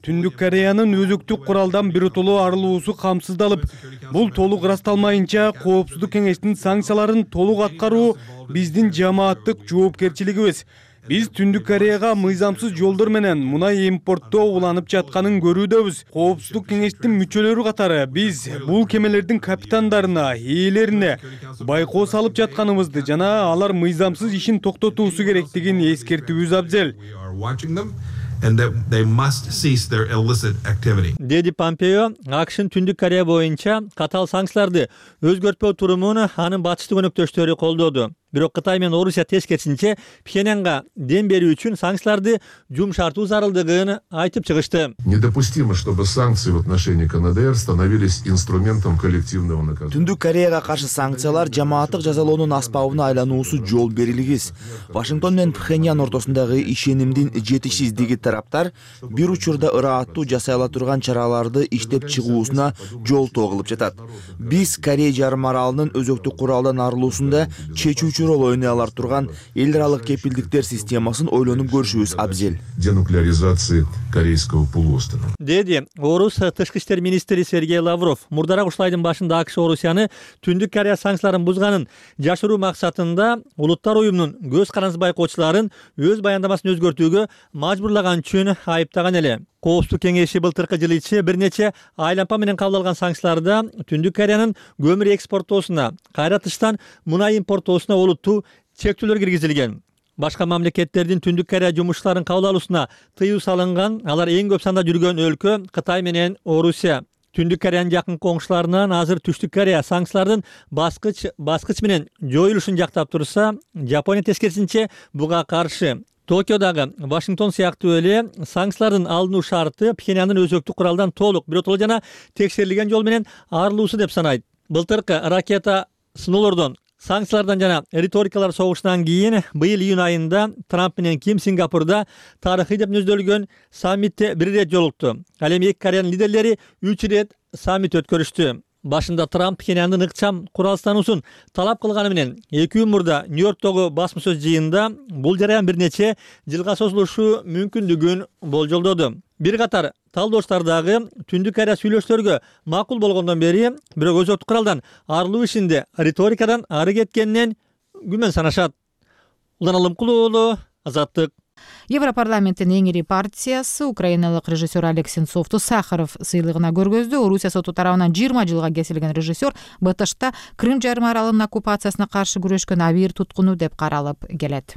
Түндүк Кореянын өзөктүк куралдан биротоло арылуусу камсыздалып, бул толук ырасталмайынча коопсуздук кеңештин санкцияларын толук аткаруу биздин жамааттык жоопкерчилигибиз. Биз Түндүк Кореяга мыйзамсыз жолдор менен мунай импорттоо уланып жатканын көрүүдөбүз. Коопсуздук кеңештин мүчөлөрү катары биз бул кемелердин капитандарына, ээлерине байкоо салып жатканыбызды жана алар мыйзамсыз ишин токтотуусу керектигин эскертүүбүз абзел. And that they must cease their illicit activity. Деди Помпео АКШнын Түндүк Корея боюнча катаал санкцияларды өзгөртпөө турумун анын батыштык өнөктөштөрү колдоду. Бирок Кытай менен Орусия тескерисинче Пхеньянга дем берүү үчүн санкцияларды жумшартуу зарылдыгын айтып чыгышты. Недопустимо, чтобы санкции в отношении КНДР становились инструментом коллективного наказания. Түндүк Кореяга каршы санкциялар жамааттык жазалоонун аспабына айлануусу жол берилгис. Вашингтон менен Пхеньян ортосундагы ишенимдин жетишсиздиги тараптар бир учурда ырааттуу жасай ала турган чара чараларды иштеп чыгуусуна жолтоо кылып жатат. Биз Корея жарым аралынын өзөктүк куралдан арылуусунда чечүүчү роль ойной алар турган эл аралык кепилдиктер системасын ойлонуп көрүшүбүз абзел. Денуклеаризации Корейского полуострова. Деди Орус тышкы иштер министри Сергей Лавров мурдараак ушул айдын башында АКШ Орусияны Түндүк Корея санкцияларын бузганын жашыруу максатында Улуттар уюмунун көз карандысыз байкоочуларын өз баяндамасын өзгөртүүгө мажбурлаган үчүн айыптаган эле. Коопсуздук кеңеши былтыркы жылы ичи бир нече айлампа менен кабыл алган санкцияларда Түндүк Кореянын көмүр экспортоосуна, кайра тыштан мунай импортоосуна олуттуу чектөөлөр киргизилген. Башка мамлекеттердин Түндүк Корея жумушчуларын кабыл алуусуна тыюу салынган. Алар эң көп санда жүргөн өлкө Кытай менен Орусия. Түндүк Кореянын жакын коңшуларынан азыр Түштүк Корея санкциялардын баскыч баскыч менен жоюлушун жактап турса, Жапония тескерисинче буга каршы. Токиодагы Вашингтон сыяктуу эле санкциялардын алынуу шарты Пхеньяндын өзөктүк куралдан толук, биротоло жана текшерилген жол менен арылуусу деп санайт. Былтыркы ракета сыноолордон, санкциялардан жана риторикалар согушунан кийин быйыл июнь айында Трамп менен Ким Сингапурда тарыхый деп мүнөздөлгөн саммитте бир ирет жолукту. Ал эми эки Кореянын лидерлери үч ирет саммит өткөрүштү. Башында Трамп Пхеньяндын ыкчам куралсыздануусун талап кылганы менен эки күн мурда Нью-Йорктогу басма сөз жыйынында бул жараян бир нече жылга созулушу мүмкүндүгүн болжолдоду. Бир катар талдоочулар дагы Түндүк Корея сүйлөшүүлөргө макул болгондон бери бирок өзөктүк куралдан арылуу ишинде риторикадан ары кеткенинен күмөн санашат. Улан Алымкулуу уулу, Азаттык. Европарламенттин эң ири партиясы украиналык режиссер Олег Сенцовду Сахаров сыйлыгына көргөздү. Орусия соту тарабынан жыйырма жылга кесилген режиссер БТШта Крым жарым аралынын оккупациясына каршы күрөшкөн абийир туткуну деп каралып келет.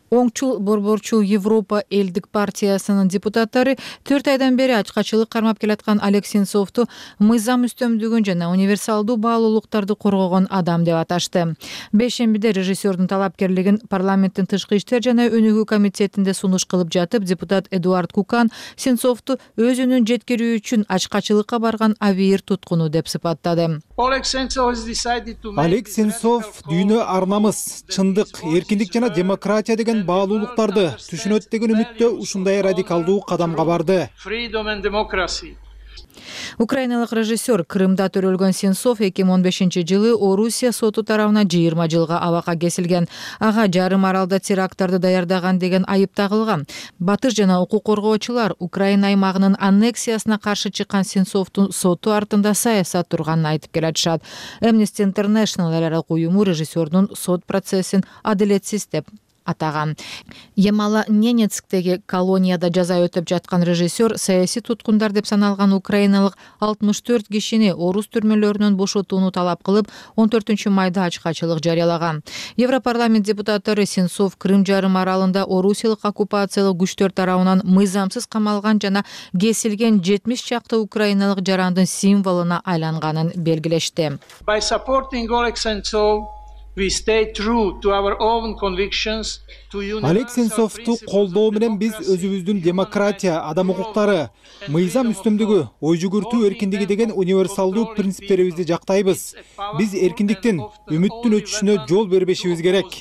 Оңчул борборчу Европа элдик партиясынын депутаттары төрт айдан бери ачкачылык кармап келаткан Олег Сенцовду мыйзам үстөмдүгүн жана универсалдуу баалуулуктарды коргогон адам деп аташты. Бейшембиде режиссердун талапкерлигин парламенттин тышкы иштер жана өнүгүү комитетинде сунуш кылып жатып, депутат Эдуард Кукан Сенцовду өзүнүн жеткирүү үчүн ачкачылыкка барган абийир туткуну деп сыпаттады. Олег Сенцов дүйнө ар намыс, чындык, эркиндик жана демократия деген баалуулуктарды түшүнөт деген үмүттө ушундай радикалдуу кадамга барды. Украиналык режиссер Крымда төрөлгөн Сенцов эки миң он бешинчи жылы Орусия соту тарабынан жыйырма жылга абакка кесилген. Ага жарым аралда теракттарды даярдаган деген айып тагылган. Батыш жана укук коргоочулар Украина аймагынын аннексиясына каршы чыккан Сенцовдун соту артында саясат турганын айтып келатышат. Amnesty International эл аралык уюму режиссердун сот процессин адилетсиз деп атаган. Ямало-Ненецктеги колонияда жаза өтөп жаткан режиссер саясий туткундар деп саналган украиналык алтымыш төрт кишини орус түрмөлөрүнөн бошотууну талап кылып, он төртүнчү майда ачкачылык жарыялаган. Европарламент депутаттары Сенцов Крым жарым аралында орусиялык оккупациялык күчтөр тарабынан мыйзамсыз камалган жана кесилген жетимиш чакты украиналык жарандын символуна айланганын белгилешти. By supporting Oleg Sentsov, Олег Сенцовду колдоо менен биз өзүбүздүн демократия, адам укуктары, мыйзам үстөмдүгү, ой жүгүртүү эркиндиги деген универсалдуу принциптерибизди жактайбыз. Биз эркиндиктин, үмүттүн өчүшүнө жол бербешибиз керек.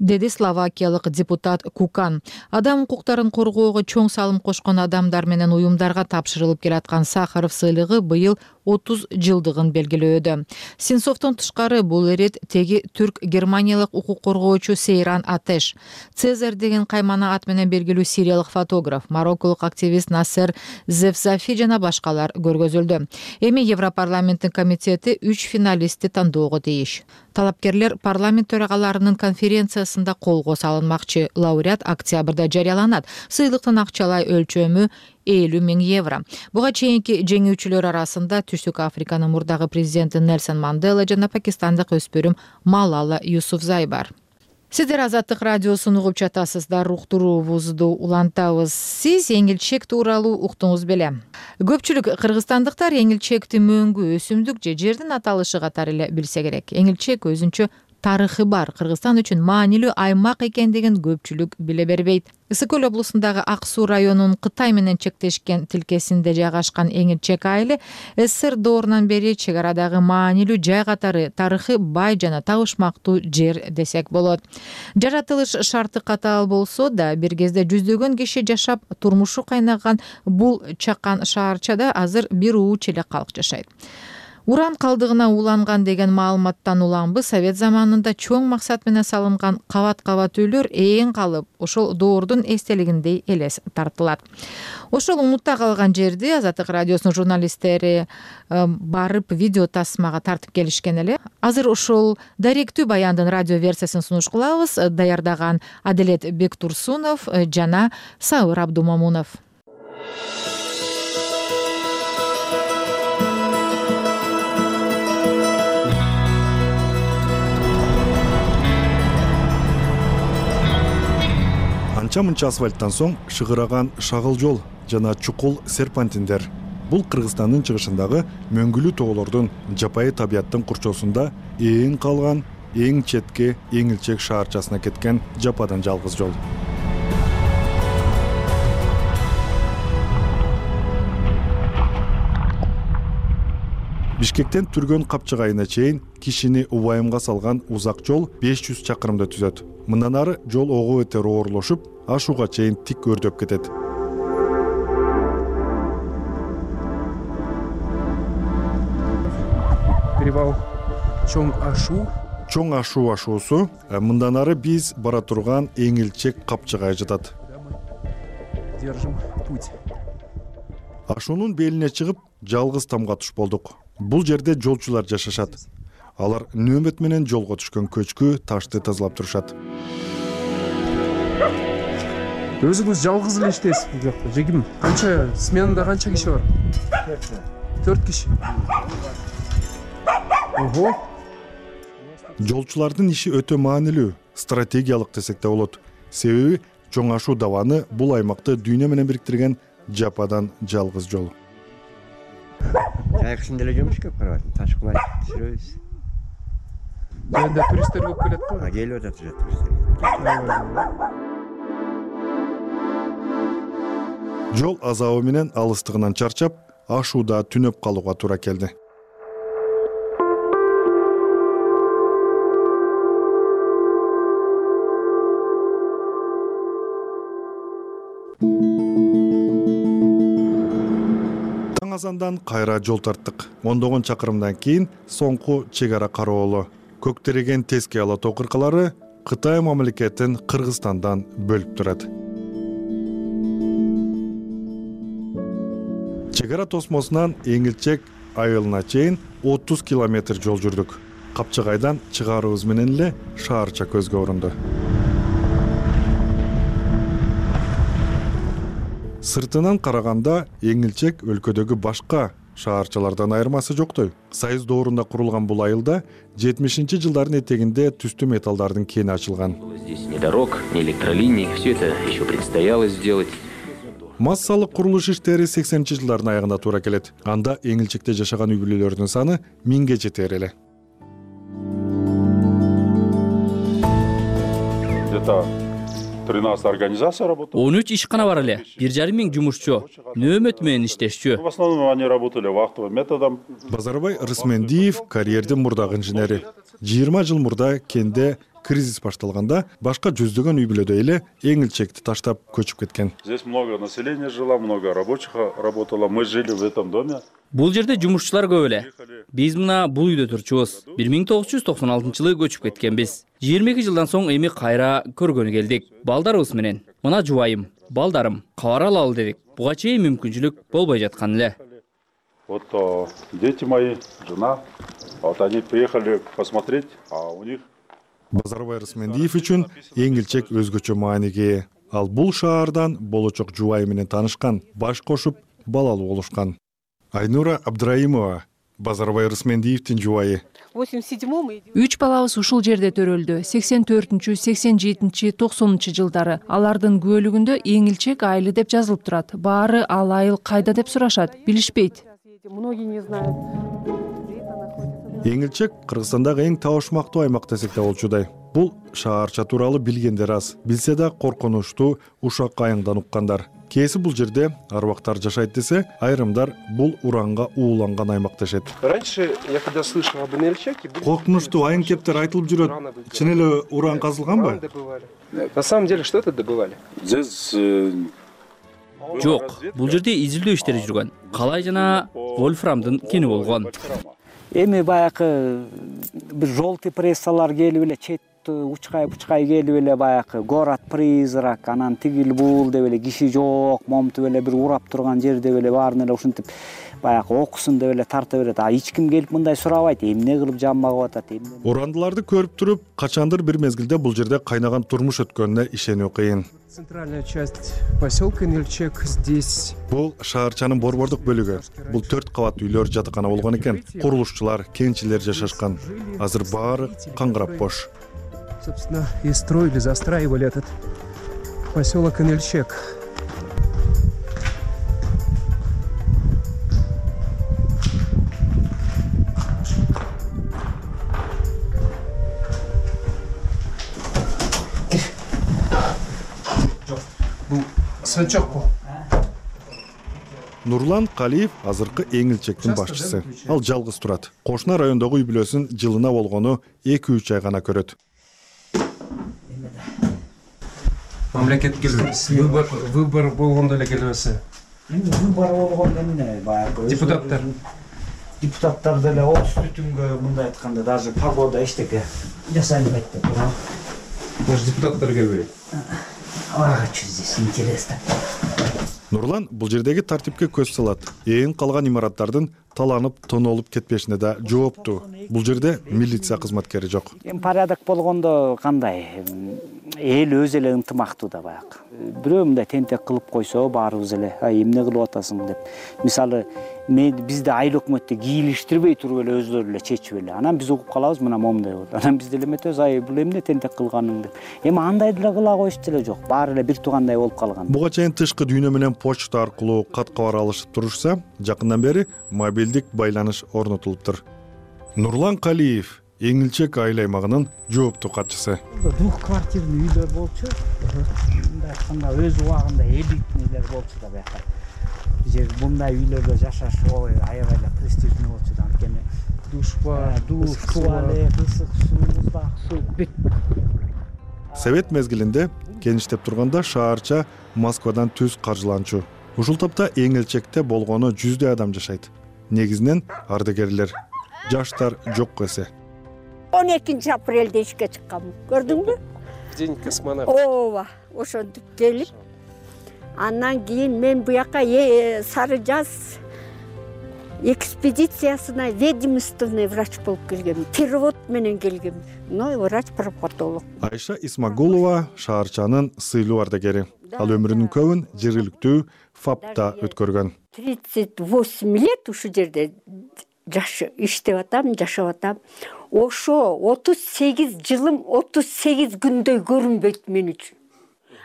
Деди словакиялык депутат Кукан. Адам укуктарын коргоого чоң салым кошкон адамдар менен уюмдарга тапшырылып келаткан Сахаров сыйлыгы быйыл отуз жылдыгын белгилөөдө. Сенцовдон тышкары бул ирет теги түрк-германиялык укук коргоочу Сейран Атеш, Цезарь деген каймана ат менен белгилүү сириялык фотограф, марокколук активист Насер Зевзафи жана башкалар көргөзүлдү. Эми Европарламенттин комитети үч финалистти тандоого тийиш. Талапкерлер парламент төрагаларынын конференциясында колго салынмакчы. Лауреат октябрда жарыяланат. Сыйлыктын акчалай өлчөмү элүү миң евро. Буга чейинки жеңүүчүлөр арасында Түштүк Африканын мурдагы президенти Нельсон Мандела жана пакистандык өспүрүм Малала Юсуфзай бар. Сиздер Азаттык радиосун угуп жатасыздар, уктуруубузду улантабыз. Сиз эңилчек тууралуу уктуңуз беле. Көпчүлүк кыргызстандыктар эңилчекти мөңгү, өсүмдүк же жердин аталышы катары эле билсе керек. Эңилчек өзүнчө тарыхы бар, Кыргызстан үчүн маанилүү аймак экендигин көпчүлүк биле бербейт. Ысык көл облусундагы Ак Суу районунун Кытай менен чектешкен тилкесинде жайгашкан Эңилчек айылы СССР доорунан бери чек арадагы маанилүү жай катары тарыхы бай жана табышмактуу жер десек болот. Жаратылыш шарты катаал болсо да бир кезде жүздөгөн киши жашап турмушу кайнаган бул чакан шаарчада азыр бир ууч эле калк жашайт. Уран калдыгына уланган деген маалыматтан уланбы Совет заманында чоң максат менен салынган кабат-кабат үйлөр ээн калып, ошол доордун эстелигиндей элес тартылат. Ошол унутта калган жерди Азаттык радиосунун журналисттери барып видео тасмага тартып келишкен эле. Азыр ошол даректүү баяндын радио версиясын сунуш кылабыз. Даярдаган Аделет Бектурсунов жана Сабыр Абдумамунов. Анча-мынча асфальттан соң шыгыраган шагыл жол жана чукул серпантиндер. Бул Кыргызстандын чыгышындагы мөңгүлүү тоолордун жапайы табияттын курчоосунда ээн калган эң четке Эңилчек шаарчасына кеткен жападан жалгыз жол. Бишкектен Түргөн Капчыгайына чейин кишини убайымга салган узак жол беш жүз чакырымды түзөт. Мындан ары жол ого бетер оорлошуп, ашууга чейин тик өрдөп кетет. Перевал Чоң Ашуу. Чоң Ашуу ашуусу мындан ары биз бара турган Эңилчек Капчыгай жатат. Держим путь. Ашуунун белине чыгып, жалгыз тамга туш болдук. Бул жерде жолчулар жашашат. Алар нөөмөт менен жолго түшкөн көчкү ташты тазалап турушат. Өзүңүз жалгыз эле иштейсиз бул жакта. Жегим канча сменада канча киши бар? төрт киши. Ого. Жолчулардын иши өтө маанилүү, стратегиялык десек да болот. Себеби Чоң Ашуу даваны бул аймакты дүйнө менен бириктирген жападан жалгыз жол. Жайкысын деле жумуш көп карап атам. Таш кулай түшүрөбүз. Жөндөй туристтер көп келет го. Келип атат туристтер. Жол азабы менен алыстыгынан чарчап, Ашууда түнөп калууга туура келди. Таң азандан кайра жол тарттык. Ондогон чакырымдан кийин соңку чек ара кароолу. Көктөрөгөн теске ала тоо кыркалары Кытай мамлекетин Кыргызстандан бөлүп турат. Чек ара тосмосунан Эңилчек айылына чейин отуз километр жол жүрдүк. Капчыгайдан чыгарыбыз менен эле шаарча көзгө урунду. Сыртынан караганда Эңилчек өлкөдөгү башка шаарчалардан айырмасы жоктой. Союз доорунда курулган бул айылда жетимишинчи жылдардын этегинде түстүү металлдардын кени ачылган. Здесь ни дорог, ни электролиний, все это еще предстояло сделать. Массалык курулуш иштери сексенинчи жылдардын аягына туура келет. Анда Эңилчекте жашаган үй бүлөлөрдүн саны миңге жетер эле. Где-то тринадцать организаций работает. он үч ишкана бар эле, бир жарым миң жумушчу, нөөмөт менен иштешчү. В основном они работали вахтовым методом. Базарбай Рысмендиев карьердин мурдагы инженери. жыйырма жыл мурда кенде кризис башталганда башка жүздөгөн үй бүлөдөй эле Эңилчекти таштап көчүп кеткен. Здесь много населения жило, много рабочих работало. Мы жили в этом доме. Бул жерде жумушчулар көп эле. Биз мына бул үйдө турчубуз. бир миң тогуз жүз токсон алтынчы жылы көчүп кеткенбиз. жыйырма эки жылдан соң эми кайра көргөнү келдик. Балдарыбыз менен. Мына жубайым, балдарым, кабар алалы дедик. Буга чейин мүмкүнчүлүк болбой жаткан эле. Вот дети мои, жена, вот они приехали посмотреть, а у них Базарбай Рысмендиев үчүн Эңилчек өзгөчө мааниге. Ал бул шаардан болочок жубайы менен таанышкан, баш кошуп, балалуу болушкан. Айнура Абдраимова, Базарбай Рысмендиевдин жубайы. Үч балабыз ушул жерде төрөлдү. сексен төртүнчү, сексен жетинчи, токсонунчу жылдары. Алардын күбөлүгүндө Эңилчек айылы деп жазылып турат. Баары ал айыл кайда деп сурашат, билишпейт. Эңилчек Кыргызстандагы эң табышмактуу аймак десек да болчудай. Бул шаарча тууралуу билгендер аз, билсе да коркунучтуу ушак айыңдан уккандар. Кээси бул жерде арбактар жашайт десе, айрымдар бул уранга ууланган аймак дешет. Раньше я когда слышал об НЛЧеке, коркунучтуу айың кептер айтылып жүрөт. Чын эле уран казылганбы? На самом деле что это добывали? Здесь Жок, бул жерде изилдөө иштери жүргөн. Калай жана вольфрамдын кени болгон. Эми баягы бир желтый прессалар келип эле чет учкай учкай келип эле баягы город призрак, анан тигил бул деп эле киши жок, момтуп эле бир урап турган жер деп эле баарын эле ушинтип баягы окусун деп эле тарта берет. А эч ким келип мындай сурабайт, эмне кылып жанбагып атат, эмне. Урандыларды көрүп туруп, качандыр бир мезгилде бул жерде кайнаган турмуш өткөнүнө ишенүү кыйын. Центральная часть поселка Нельчек здесь. Бул шаарчанын борбордук бөлүгү. Бул төрт кабат үйлөр жатакана болгон экен. Курулушчулар, кенчилер жашашкан. Азыр баары каңгырап бош. Собственно, и строили, застраивали этот поселок Нельчек. Свечок. Нурлан Калиев азыркы Эңилчектин башчысы. Ал жалгыз турат. Кошуна райондогу үй бүлөсүн жылына болгону эки үч ай гана көрөт. Мамлекет келбейт. Выбор выбор болгондо эле келбесе. Эми выбор болгондо эмне баягы депутаттар. Депутаттар деле отуз бүтүнгө мындай айтканда даже погода эчтеке жасай албайт деп туурабы? Даже депутаттар келбейт. А, что здесь интересно? Нурлан бул жердеги тартипке көз салат. Ээн калган имараттардын таланып, тонолуп кетпешине да жооптуу. Бул жерде милиция кызматкери жок. Эми порядок болгондо кандай? Эл өзү эле ынтымактуу да баягы. Бирөө мындай тентек кылып койсо, баарыбыз эле, ай эмне кылып атасың деп. Мисалы, мен бизде айыл өкмөттө кийлиштирбей туруп эле өздөрү эле чечип эле. Анан биз угуп калабыз, мына момундай болот. Анан биз деле эметебиз, ай бул эмне тентек кылганың деп. Эми андай деле кыла коюш деле жок. Баары эле бир туугандай болуп калган. Буга чейин тышкы дүйнө менен почта аркылуу кат кабар алышып турушса, жакындан бери мобилдик байланыш орнотулуптур. Нурлан Калиев Эңилчек айыл аймагынын жооптуу катчысы. Двухквартирный үйлөр болчу. Мындай айтканда өз убагында элитный үйлөр болчу да баягы. Жер мындай үйлөрдө жашаш ой аябай эле престижный болчу да, анткени душ бар, душ, туалет, ысык суу, муздак суу бүт. Совет мезгилинде кеништеп турганда шаарча Москвадан түз каржыланчу. Ушул топто Эңилчекте болгону жүздөй адам жашайт. Негизинен ардагерлер. Жаштар жок эсе. он экинчи апрелде ишке чыккам. Көрдүңбү? День космонавт. Ооба, ошентип келип. Андан кийин мен буяка Сары Жаз экспедициясына ведомственный врач болуп келгем. Перевод менен келгем. Ну, врач-пропатолог. Айша Исмагулова шаарчанын сыйлуу ардагери. Ал өмүрүнүн көбүн жергиликтүү ФАПта өткөргөн. тридцать восемь лет ушу жерде жаш иштеп атам, жашап атам. Ошо отуз сегиз жылым отуз сегиз күндөй көрүнбөйт мен үчүн.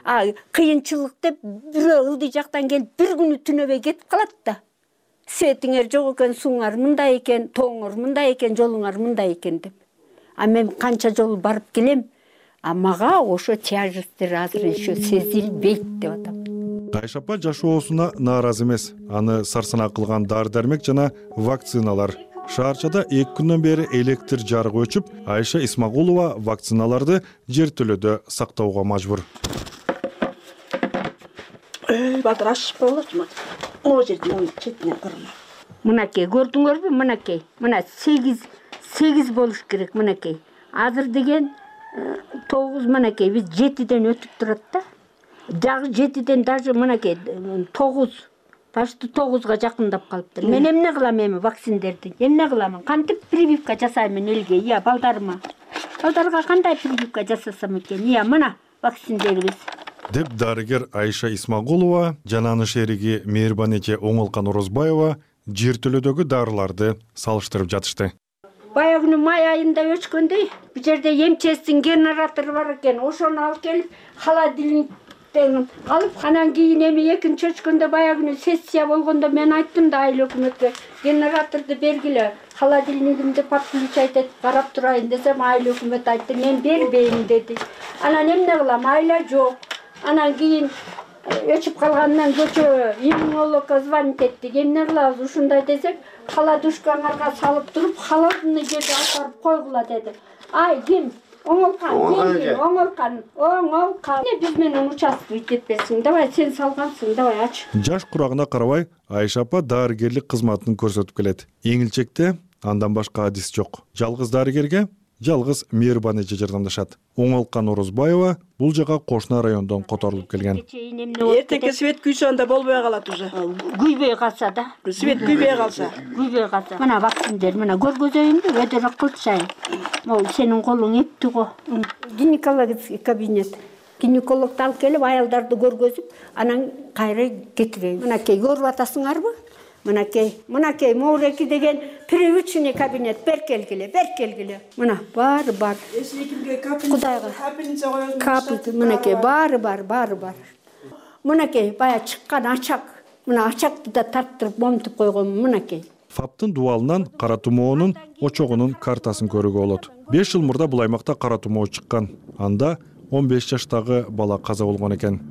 А кыйынчылык деп бирөө ылдый жактан келип бир күнү түнөбөй кетип калат да. Светиңер жок экен, сууңар мындай экен, тооңор мындай экен, жолуңар мындай экен деп. А мен канча жол барып келем, а мага ошо тяжестир азыр еще сезилбейт деп атам. Айша апа жашоосуна нааразы эмес. Аны сарсанаа кылган дары-дармек жана вакциналар. Шаарчада эки күндөн бери электр жарыгы өчүп, Айша Исмагулова вакциналарды жертөлөдө сактоого мажбур. Батыр ашып болочу. Могу жерде моюн четине кырма. Мынакей көрдүңөрбү? Мынакей. Мына сегиз сегиз болуш керек мынакей. Азыр деген тогуз мынакей биз жетиден өтүп турат да. Жагы жетиден даже мынакей тогуз, почти тогузга жакындап калыптыр. Мен эмне кылам эми вакциндерди? Эмне кыламын? Кантип прививка жасаймын элге? Ия, балдарыма. Балдарга кандай прививка жасасам экен? Ия, мына вакциндерибиз. Деп дарыгер Айша Исмагулова жана анын шериги Мээрбан эже Оңолкан Орозбаева жертөлөдөгү дарыларды салыштырып жатышты. Баягы май айында өчкөндө бу жерде эмчестин генератору бар экен. Ошону алып келип холодильник деген алып анан кийин эми экинчи өчкөндө баягы күнү сессия болгондо мен айттым да айыл өкмөткө генераторду бергиле, холодильнигимди подключать этип карап турайын десем, айыл өкмөт айтты мен бербейм деди. Анан эмне кылам, айла жок. Анан кийин өчүп калгандан көчө иммунологко звонить эттик. Эмне кылабыз ушундай десек, холодушкаңарга салып туруп, холодный жерге апарып койгула деди. Ай, ким? Оңолкан, ким? Оңолкан, оңолкан. Биз менен участковый кетпесиң, давай сен салгансың, давай ач. Жаш курагына карабай, Айша апа дарыгерлик кызматын көрсөтүп келет. Эңилчекте андан башка адис жок. Жалгыз дарыгерге жалгыз мейрибан эже жардамдашат. Оңолкан Орозбаева бул жака кошуна райондон которулуп келген. Эртеңки свет күйсө анда болбой калат уже. Күйбөй калса да. Свет күйбөй калса. Күйбөй калса. Мына вакциндер, мына көргөзөйүнбү, өйдөрөөк кылчайын. Могу сенин колуң эпти го. Гинекологический кабинет. Гинекологду алып келип аялдарды көргөзүп, анан кайра кетирейин. Мынакей көрүп атасыңарбы? Мынакей, мынакей Моуреки деген привычный кабинет, бер келгиле, бер келгиле. Мына баары бар. Кудайга капельница коёсуң. Капельница, мынакей баары бар, баары бар. Мынакей бая чыккан ачак. Мына ачакты да тарттырып момтуп койгон мынакей. ФАПтын дубалынан кара тумоонун очогунун картасын көрүүгө болот. беш жыл мурда бул аймакта кара тумоо чыккан. Анда он беш жаштагы бала каза болгон экен.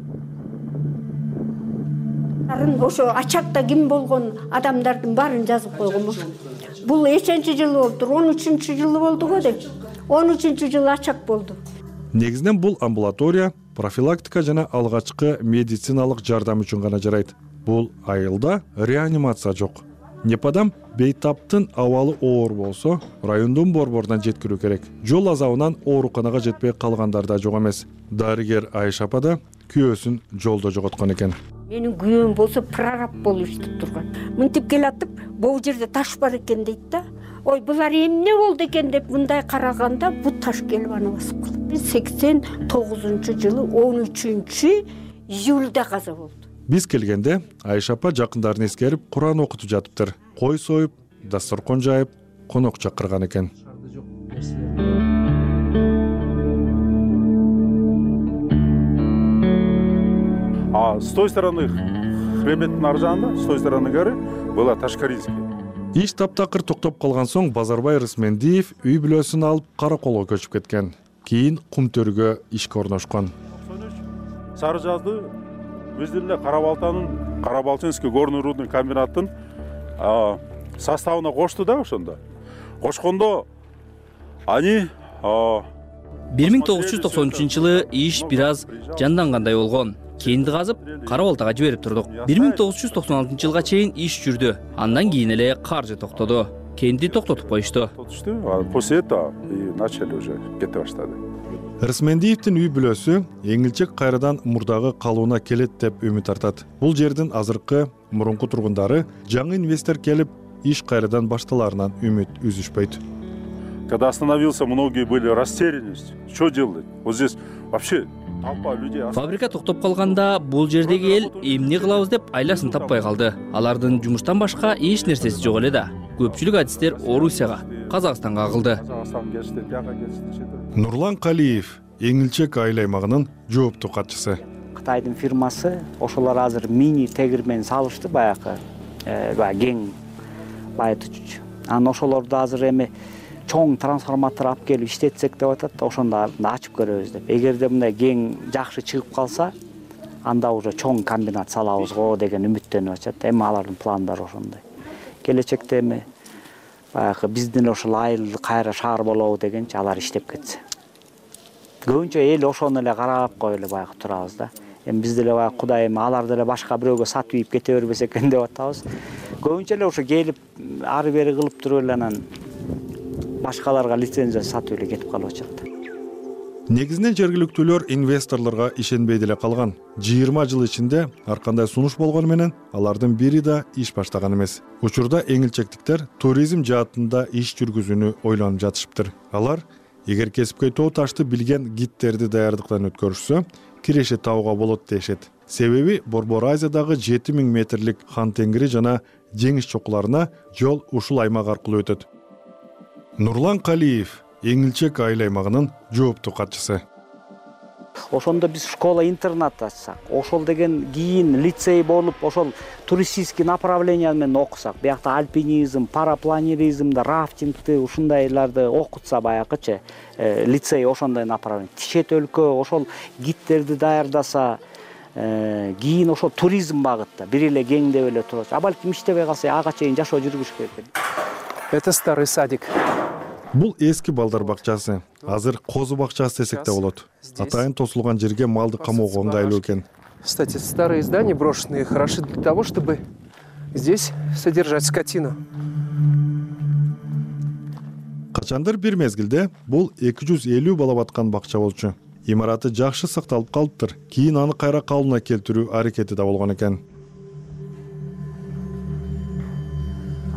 Ошо ачакта ким болгон адамдардын баарын жазып койгонмун. Бул эченчи жылы болду, он үчүнчү жылы болду го деп. он үчүнчү жылы ачак болду. Негизинен бул амбулатория профилактика жана алгачкы медициналык жардам үчүн гана жарайт. Бул айылда реанимация жок. Непадам бейтаптын абалы оор болсо, райондун борборунан жеткирүү керек. Жол азабынан ооруканага жетпей калгандар да жок эмес. Дарыгер Айша апа да күйөөсүн жолдо жоготкон экен. Менин күйөөм болсо прораб болуп иштеп турган. Мынтип келатып, бул жерде таш бар экен дейт да. Ой, булар эмне болду экен деп мындай караганда бу таш келип аны басып калды. сексен тогузунчу жылы он үчүнчү июлда каза болду. Биз келгенде Айша апа жакындарын эскерип Куран окутуп жатыптыр. Кой союп, дасторкон жайып, конок чакырган экен. А с той стороны хребеттин ар жагында, с той стороны горы была Ташкарильский. Иш таптакыр токтоп калган соң Базарбай Рысмендиев үй бүлөсүн алып Караколго көчүп кеткен. Кийин Кумтөргө ишке орношкон. Сары жазды биздин эле Карабалтанын, Карабалчинский горный рудный комбинаттын составына кошту да ошондо. Кошкондо они бир миң тогуз жүз токсон үчүнчү жылы иш бир аз жандангандай болгон. Кенди казып, Карабалтага жиберип турдук. бир миң тогуз жүз токсон алтынчы жылга чейин иш жүрдү. Андан кийин эле каржы токтоду. Кенди токтотуп коюшту. После этого и начали уже кете баштады. Рысмендиевдин үй бүлөсү Эңилчек кайрадан мурдагы калууна келет деп үмүт артат. Бул жердин азыркы мурунку тургундары жаңы инвестор келип, иш кайрадан башталарынан үмүт үзүшпөйт. Когда остановился, многие были растеряны. Что делать? Вот здесь вообще толпа людей. Фабрика токтоп калганда бул жердеги эл эмне кылабыз деп айласын таппай калды. Алардын жумуштан башка эч нерсеси жок эле да. Көпчүлүк адистер Орусияга, Казакстанга агылды. Нурлан Калиев Эңилчек айыл аймагынын жооптуу катчысы. Кытайдын фирмасы ошолор азыр мини тегирмен салышты баягы, баягы кең байытуучу. Анан ошолорду азыр эми чоң трансформатор алып келип иштетсек деп атат, ошондо ачып көрөбүз деп. Эгерде мындай кең жакшы чыгып калса, анда уже чоң комбинат салабыз го деген үмүттөнүп атат. Эми алардын пландары ошондой. Келечекте эми баягы биздин ошол айыл кайра шаар болобу дегенчи алар иштеп кетсе. Көбүнчө эл ошону эле карап коюп эле баягы турабыз да. Эми биз деле баягы Кудай эми аларды эле башка бирөөгө сатып ийип кете бербесе экен деп атабыз. Көбүнчө эле ошо келип ары бери кылып туруп эле анан башкаларга лицензия сатып эле кетип калып атат. Негизинен жергиликтүүлөр инвесторлорго ишенбей деле калган. жыйырма жыл ичинде ар кандай сунуш болгону менен алардын бири да иш баштаган эмес. Учурда эңилчектиктер туризм жаатында иш жүргүзүүнү ойлонуп жатышыптыр. Алар эгер кесипкөй тоо ташты билген гидтерди даярдыктан өткөрүшсө, киреше табууга болот дешет. Себеби Борбор Азиядагы жети миң метрлик Хан Теңири жана жеңиш чокуларына жол ушул аймак аркылуу өтөт. Нурлан Калиев Эңилчек айыл аймагынын жооптуу катчысы. Ошондо биз школа интернат ачсак, ошол деген кийин лицей болуп, ошол туристический направление менен окусак, биякта альпинизм, парапланеризмди, рафтингти, ушундайларды окутса баягычы, лицей ошондой направление. Чет өлкө ошол гидтерди даярдаса, кийин ошол туризм багытта бир эле кеңдеп эле турат. А балким иштебей калса ага чейин жашоо жүргүш керек. Это старый садик. Бул эски балдар бакчасы. Азыр козу бакчасы десек да болот. Атайын тосулган жерге малды камоого ыңгайлуу экен. Кстати, старые здания брошенные хороши для того, чтобы здесь содержать скотину. Качандыр бир мезгилде бул эки жүз элүү бала баткан бакча болчу. Имараты жакшы сакталып калыптыр. Кийин аны кайра калыбына келтирүү аракети да болгон экен.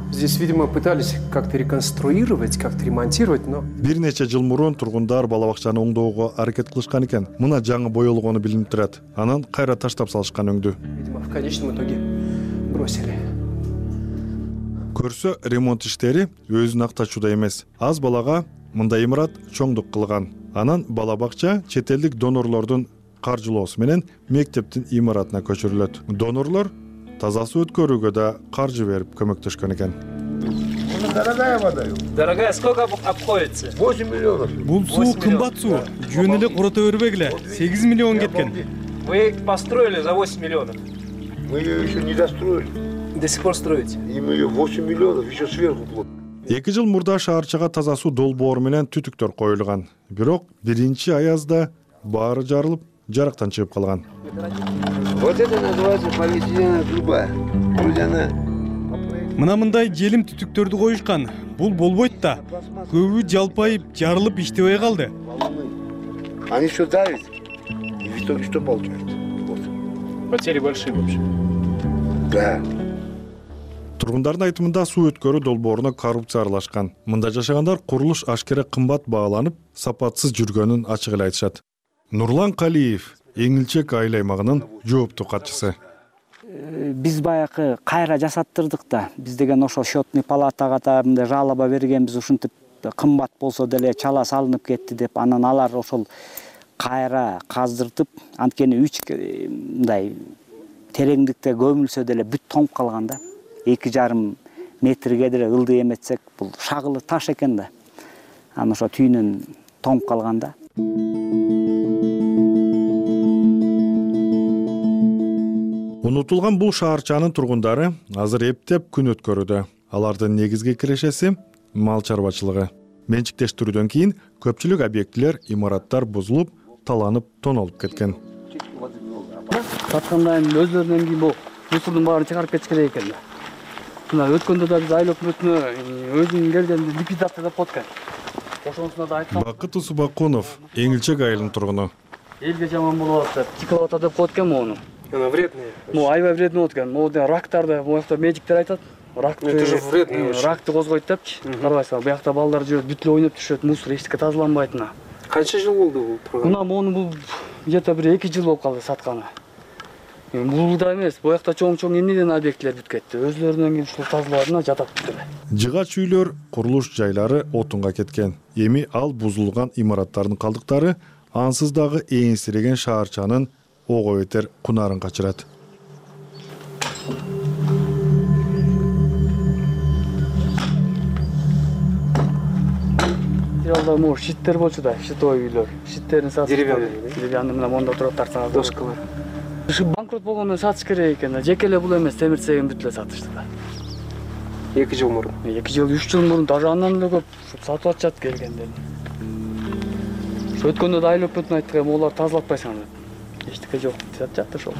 Здесь, видимо, пытались как-то реконструировать, как-то ремонтировать, но... Бир нече жыл мурун тургундар бала бакчаны оңдоого аракет кылышкан экен. Мына жаңы боелгону билинип турат. Анан кайра таштап салышкан өңдү. Видимо, в конечном итоге бросили. Көрсө, ремонт иштери өзүн актачууда эмес. Аз балага мындай имарат чоңдук кылган. Анан бала бакча чет элдик донорлордун каржылоосу менен мектептин имаратына көчүрүлөт. Донорлор таза суу өткөрүүгө да каржы берип көмөктөшкөн экен. Дорогая вода. Дорогая, сколько обходится? восемь миллионов. Бул суу кымбат суу. Жөн эле курото бербегиле. сегиз миллион кеткен. Вы построили за восемь миллионов. Мы ее еще не достроили. До сих пор строите? И мы ее восемь миллионов еще сверху платим. эки жыл мурда шаарчага таза суу долбоор менен түтүктөр коюлган. Бирок биринчи аязда баары жарылып, жарактан чыгып калган. Вот это называется полиэтиленовая труба. Вроде она... Мына мындай желим түтүктөрдү коюшкан. Бул болбойт да. Көбү жалпайып, жарылып иштебей калды. Они все давят. И в итоге что получается? Вот. Потери большие вообще. Да. Тургундардын айтымында суу өткөрүү долбооруна коррупция аралашкан. Мында жашагандар курулуш ашкере кымбат бааланып, сапатсыз жүргөнүн ачык эле айтышат. Нурлан Калиев, Эңилчек айыл аймагынын жооптуу катчысы. Биз баягы кайра жасаттырдык да. Биз деген ошо счетный палатага да мындай жалоба бергенбиз, ушинтип кымбат болсо деле чала салынып кетти деп. Анан алар ошол кайра каздыртып, анткени үч мындай тереңдикте көмүлсө деле бүт тоңуп калган да. эки жарым метрге деле ылдый эметсек, бул шагылы таш экен да. Анан ошо түйүнөн тоңуп калган да. Унутулган бул шаарчанын тургундары азыр эптеп күн өткөрүүдө. Алардын негизги кирешеси мал чарбачылыгы. Менчиктештирүүдөн кийин көпчүлүк объектилер, имараттар бузулуп, таланып, тонолуп кеткен. Саткандан өзлөрүнөн кийин бул мусордун баарын чыгарып кетиш керек экен. Мына өткөндө да биз айыл өкмөтүнө өзүнүн келгенде ликвидация деп коткан. Ошонусуна да айткан. Бакыт Усубакунов, Эңилчек айылынын тургуну. Элге жаман болуп атат, чыкылып атат деп коткан мону. Она вредная. Ну, айбай вредный өткөн. Могу рактарды, буякта медиктер айтат. Ракты, это же вредный. Ракты козгойт депчи. Карабайсың, буякта балдар жүрөт, бүт эле ойноп түшөт, мусор эчтеке тазаланбайт мына. Канча жыл болду бул программа? Мына мону бул где-то бир эки жыл болуп калды сатканы. Бул да эмес, буякта чоң-чоң эмнеден объектилер бүт кетти. Өзлөрүнөн кийин ушул тазалаадына жатат бүт эле. Жыгач үйлөр, курулуш жайлары отунга кеткен. Эми ал бузулган имараттардын калдыктары ансыз дагы эңсиреген шаарчанын ого бетер кунарын качырат. Ялда мур шиттер болчу да, шитой үйлөр. Шиттерин сатып деревянный, деревянный мына монда туруп тарсаңыз. Доскалар. Ушу банкрот болгондон сатыш керек экен. Жеке эле бул эмес, темирцеген бүт эле сатышты да. эки жыл мурун. эки жыл, үч жыл мурун даже андан эле көп сатып атышат келгендер. Өткөндө да айыл өкмөтүнө айттык, олар тазалатпайсыңар деп. Эчтеке жок деп жатты ошол.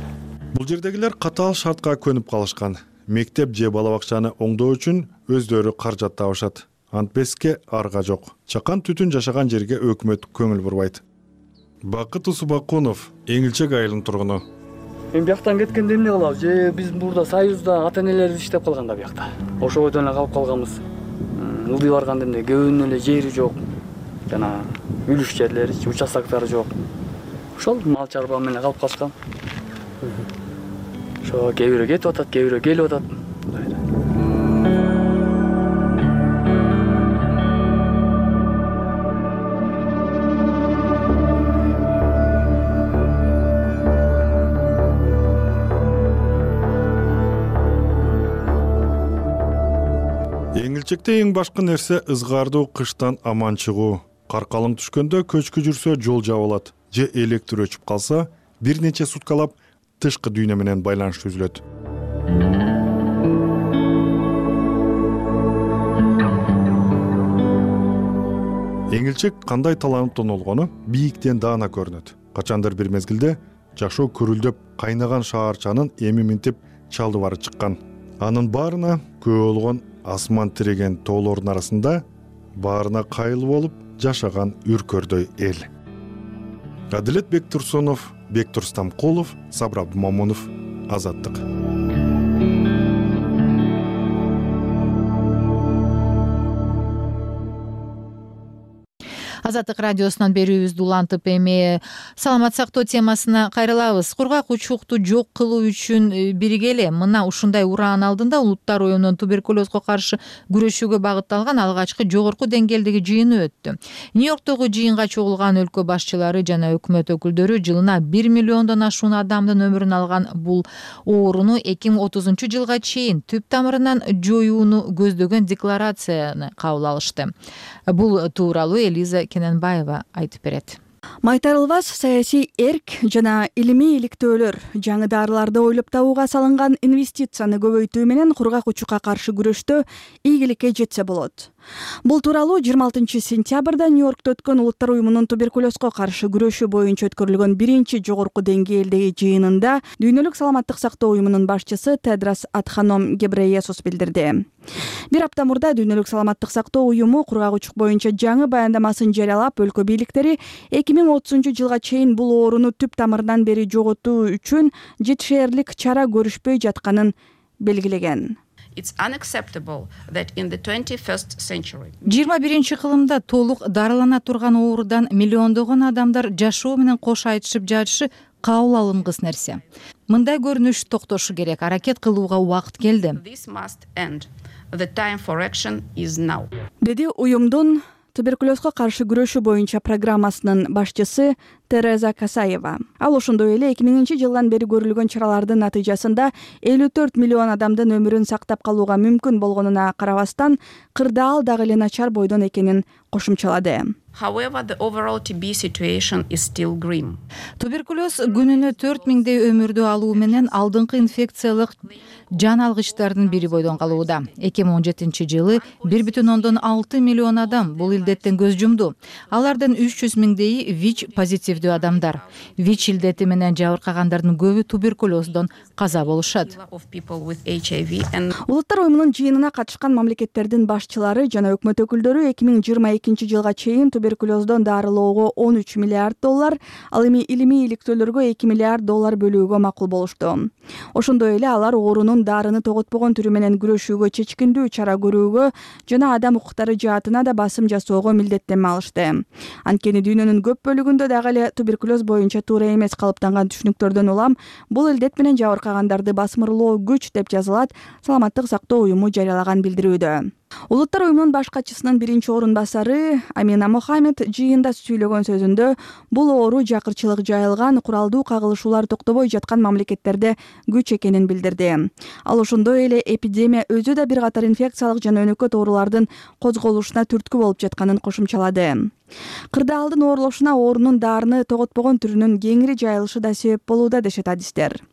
Бул жердегилер катаал шартка көнүп калышкан. Мектеп же бала бакчаны оңдоо үчүн өздөрү каражат табышат. Антпеске арга жок. Чакан түтүн жашаган жерге өкмөт көңүл бурбайт. Бакыт Усубакунов, Эңилчек айылынын тургуну. Эми бияктан кеткенде эмне кылабыз? Же биз мурда Союзда ата-энелерибиз иштеп калган да биякта. Ошо бойдон эле калып калганбыз. Ылдый барганда эмне көбүнүн эле жери жок. Жана үлүш жерлери, участоктары жок. Ошол мал чарба менен калып калышкан. Ошо кээ бирөө кетип атат, кээ бирөө келип атат. келечекте эң башкы нерсе ызгаардуу кыштан аман чыгуу. Кар калың түшкөндө көчкү жүрсө жол жабылат же электр өчүп калса бир нече суткалап тышкы дүйнө менен байланыш үзүлөт. Эңилчек кандай таланып тонолгону бийиктен даана көрүнөт. Качандыр бир мезгилде жашоо көрүлдөп кайнаган шаарчанын эми минтип чалды бары чыккан. Анын баарына күбө болгон асман тиреген тоолордун арасында баарына кайыл болуп жашаган үркөрдөй эл. Адилет Бектурсунов, Бектур Стамкулов, Сабыр Абдумамунов, Азаттык. Азаттык радиосунан берүүбүздү улантып эми саламат сактоо темасына кайрылабыз. Кургак учукту жок кылуу үчүн биригели. Мына ушундай ураан алдында Улуттар уюмунун туберкулезго каршы күрөшүүгө багытталган алгачкы жогорку деңгээлдеги жыйыны өттү. Нью-Йорктогу жыйынга чогулган өлкө башчылары жана өкмөт өкүлдөрү жылына бир миллиондон ашуун адамдын өмүрүн алган бул ооруну эки миң отузунчу жылга чейин түп тамырынан жоюуну көздөгөн декларацияны кабыл алышты. Бул тууралуу Элиза Кененбаева айтып берет. Майтарылбас саясий эрк жана илимий иликтөөлөр жаңы дарыларды ойлоп табууга салынган инвестицияны көбөйтүү менен кургак учукка каршы күрөштө ийгиликке жетсе болот. Бул тууралуу жыйырма алтынчы сентябрда Нью-Йоркто өткөн Улуттар уюмунун туберкулезго каршы күрөшүү боюнча өткөрүлгөн биринчи жогорку деңгээлдеги жыйынында Дүйнөлүк саламаттык сактоо уюмунун башчысы Тедрос Адханом Гебрейесус билдирди. Бир апта мурда Дүйнөлүк саламаттык сактоо уюму кургак учук боюнча жаңы баяндамасын жарыялап, өлкө бийликтери эки миң отузунчу жылга чейин бул ооруну түп тамырынан бери жоготуу үчүн жетишээрлик чара көрүшпөй жатканын белгилеген. жыйырма биринчи кылымда толук дарылана турган оорудан миллиондогон адамдар жашоо менен кош айтышып жатышы кабыл алынгыс нерсе. Мындай көрүнүш токтошу керек. Аракет кылууга убакыт келди. Деди уюмдун туберкулезго каршы күрөшүү боюнча программасынын башчысы Тереза Касаева. Ал ошондой эле эки миңинчи жылдан бери көрүлгөн чаралардын натыйжасында элүү төрт миллион адамдын өмүрүн сактап калууга мүмкүн болгонуна карабастан, кырдаал дагы эле начар бойдон экенин кошумчалады. Туберкулез күнүнө төрт миңдей өмүрдү алуу менен алдыңкы инфекциялык жан алгычтардын бири бойдон калууда. эки миң он жетинчи жылы бир бүтүн ондон алты миллион адам бул илдеттен көз жумду. Алардын үч жүз миңдейи ВИЧ позитивдүү адамдар. ВИЧ илдети менен жабыркагандардын көбү туберкулездон каза болушат. Улуттар уюмунун жыйынына катышкан мамлекеттердин башчылары жана өкмөт өкүлдөрү эки миң жыйырма экинчи жылга чейин туберкулездон дарылоого он үч миллиард доллар, ал эми илимий иликтөөлөргө эки миллиард доллар бөлүүгө макул болушту. Ошондой эле алар оорунун дарыны тоготпогон түрү менен күрөшүүгө чечкиндүү чара көрүүгө жана адам укуктары жаатына да басым жасоого милдеттенме алышты. Анткени дүйнөнүн көп бөлүгүндө дагы эле туберкулез боюнча туура эмес калыптанган түшүнүктөрдөн улам бул илдет менен жабыркагандарды басмырлоо күч деп жазылат Саламаттык сактоо уюму жарыялаган билдирүүдө. Улуттар уюмунун баш катчысынын биринчи орун басары Амина Мохаммед жыйында сүйлөгөн сөзүндө бул оору жакырчылык жайылган, куралдуу кагылышуулар токтобой жаткан мамлекеттерде күч экенин билдирди. Ал ошондой эле эпидемия өзү да бир катар инфекциялык жана өнөкөт оорулардын козголушуна түрткү болуп жатканын кошумчалады. Кырдаалдын оорлошуна оорунун дарыны тоготпогон түрүнүн кеңири жайылышы да себеп болууда дешет адистер.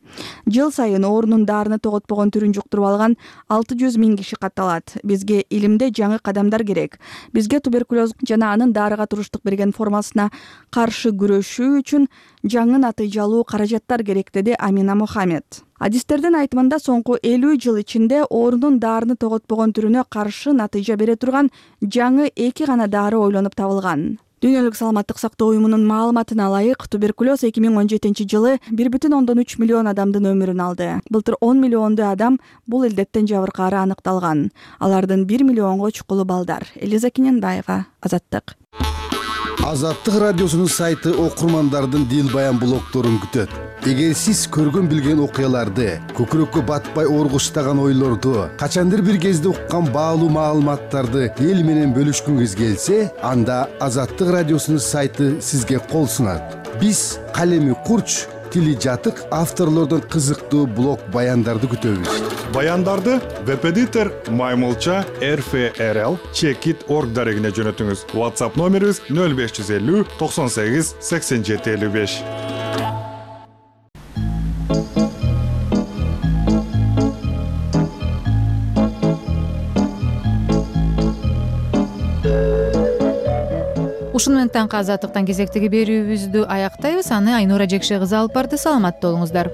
Жыл сайын оорунун дарыны тоготпогон түрүн жуктуруп алган алты жүз миң киши катталат. Бизге илимде жаңы кадамдар керек. Бизге туберкулез жана анын дарыга туруштук берген формасына каршы күрөшүү үчүн жаңы натыйжалуу каражаттар керек, деди Амина Мохаммед. Адистердин айтымында соңку элүү жыл ичинде оорунун дарыны тоготпогон түрүнө каршы натыйжа бере турган жаңы эки гана дары ойлонуп табылган. Дүйнөлүк саламаттык сактоо уюмунун маалыматына ылайык, туберкулез эки миң он жетинчи жылы бир бүтүн ондон үч миллион адамдын өмүрүн алды. Былтыр он миллионду адам бул илдеттен жабыркаары аныкталган. Алардын бир миллионго чукулу балдар. Элиза Кененбаева, Азаттык. Азаттык радиосунун сайты окурмандардын дил баян блогдорун күтөт. Эгер сиз көргөн билген окуяларды, көкүрөккө батпай оргуштаган ойлорду, качандыр бир кезде уккан баалуу маалыматтарды эл менен бөлүшкүңүз келсе, анда Азаттык радиосунун сайты сизге кол сунат. биз калеми курч, тили жатык авторлордон кызыктуу блог баяндарды күтөбүз. Баяндарды веб-эдитор маймылча эр эф эр эл чекит орг дарегине жөнөтүңүз. WhatsApp номерибиз нөл беш жүз элүү токсон сегиз сексен жети элүү беш. Ушуну менен таңкы азаттыктан кезектеги берүүбүздү аяктайбыз. Аны Айнура Жекше кызы алып барды. Саламатта болуңуздар.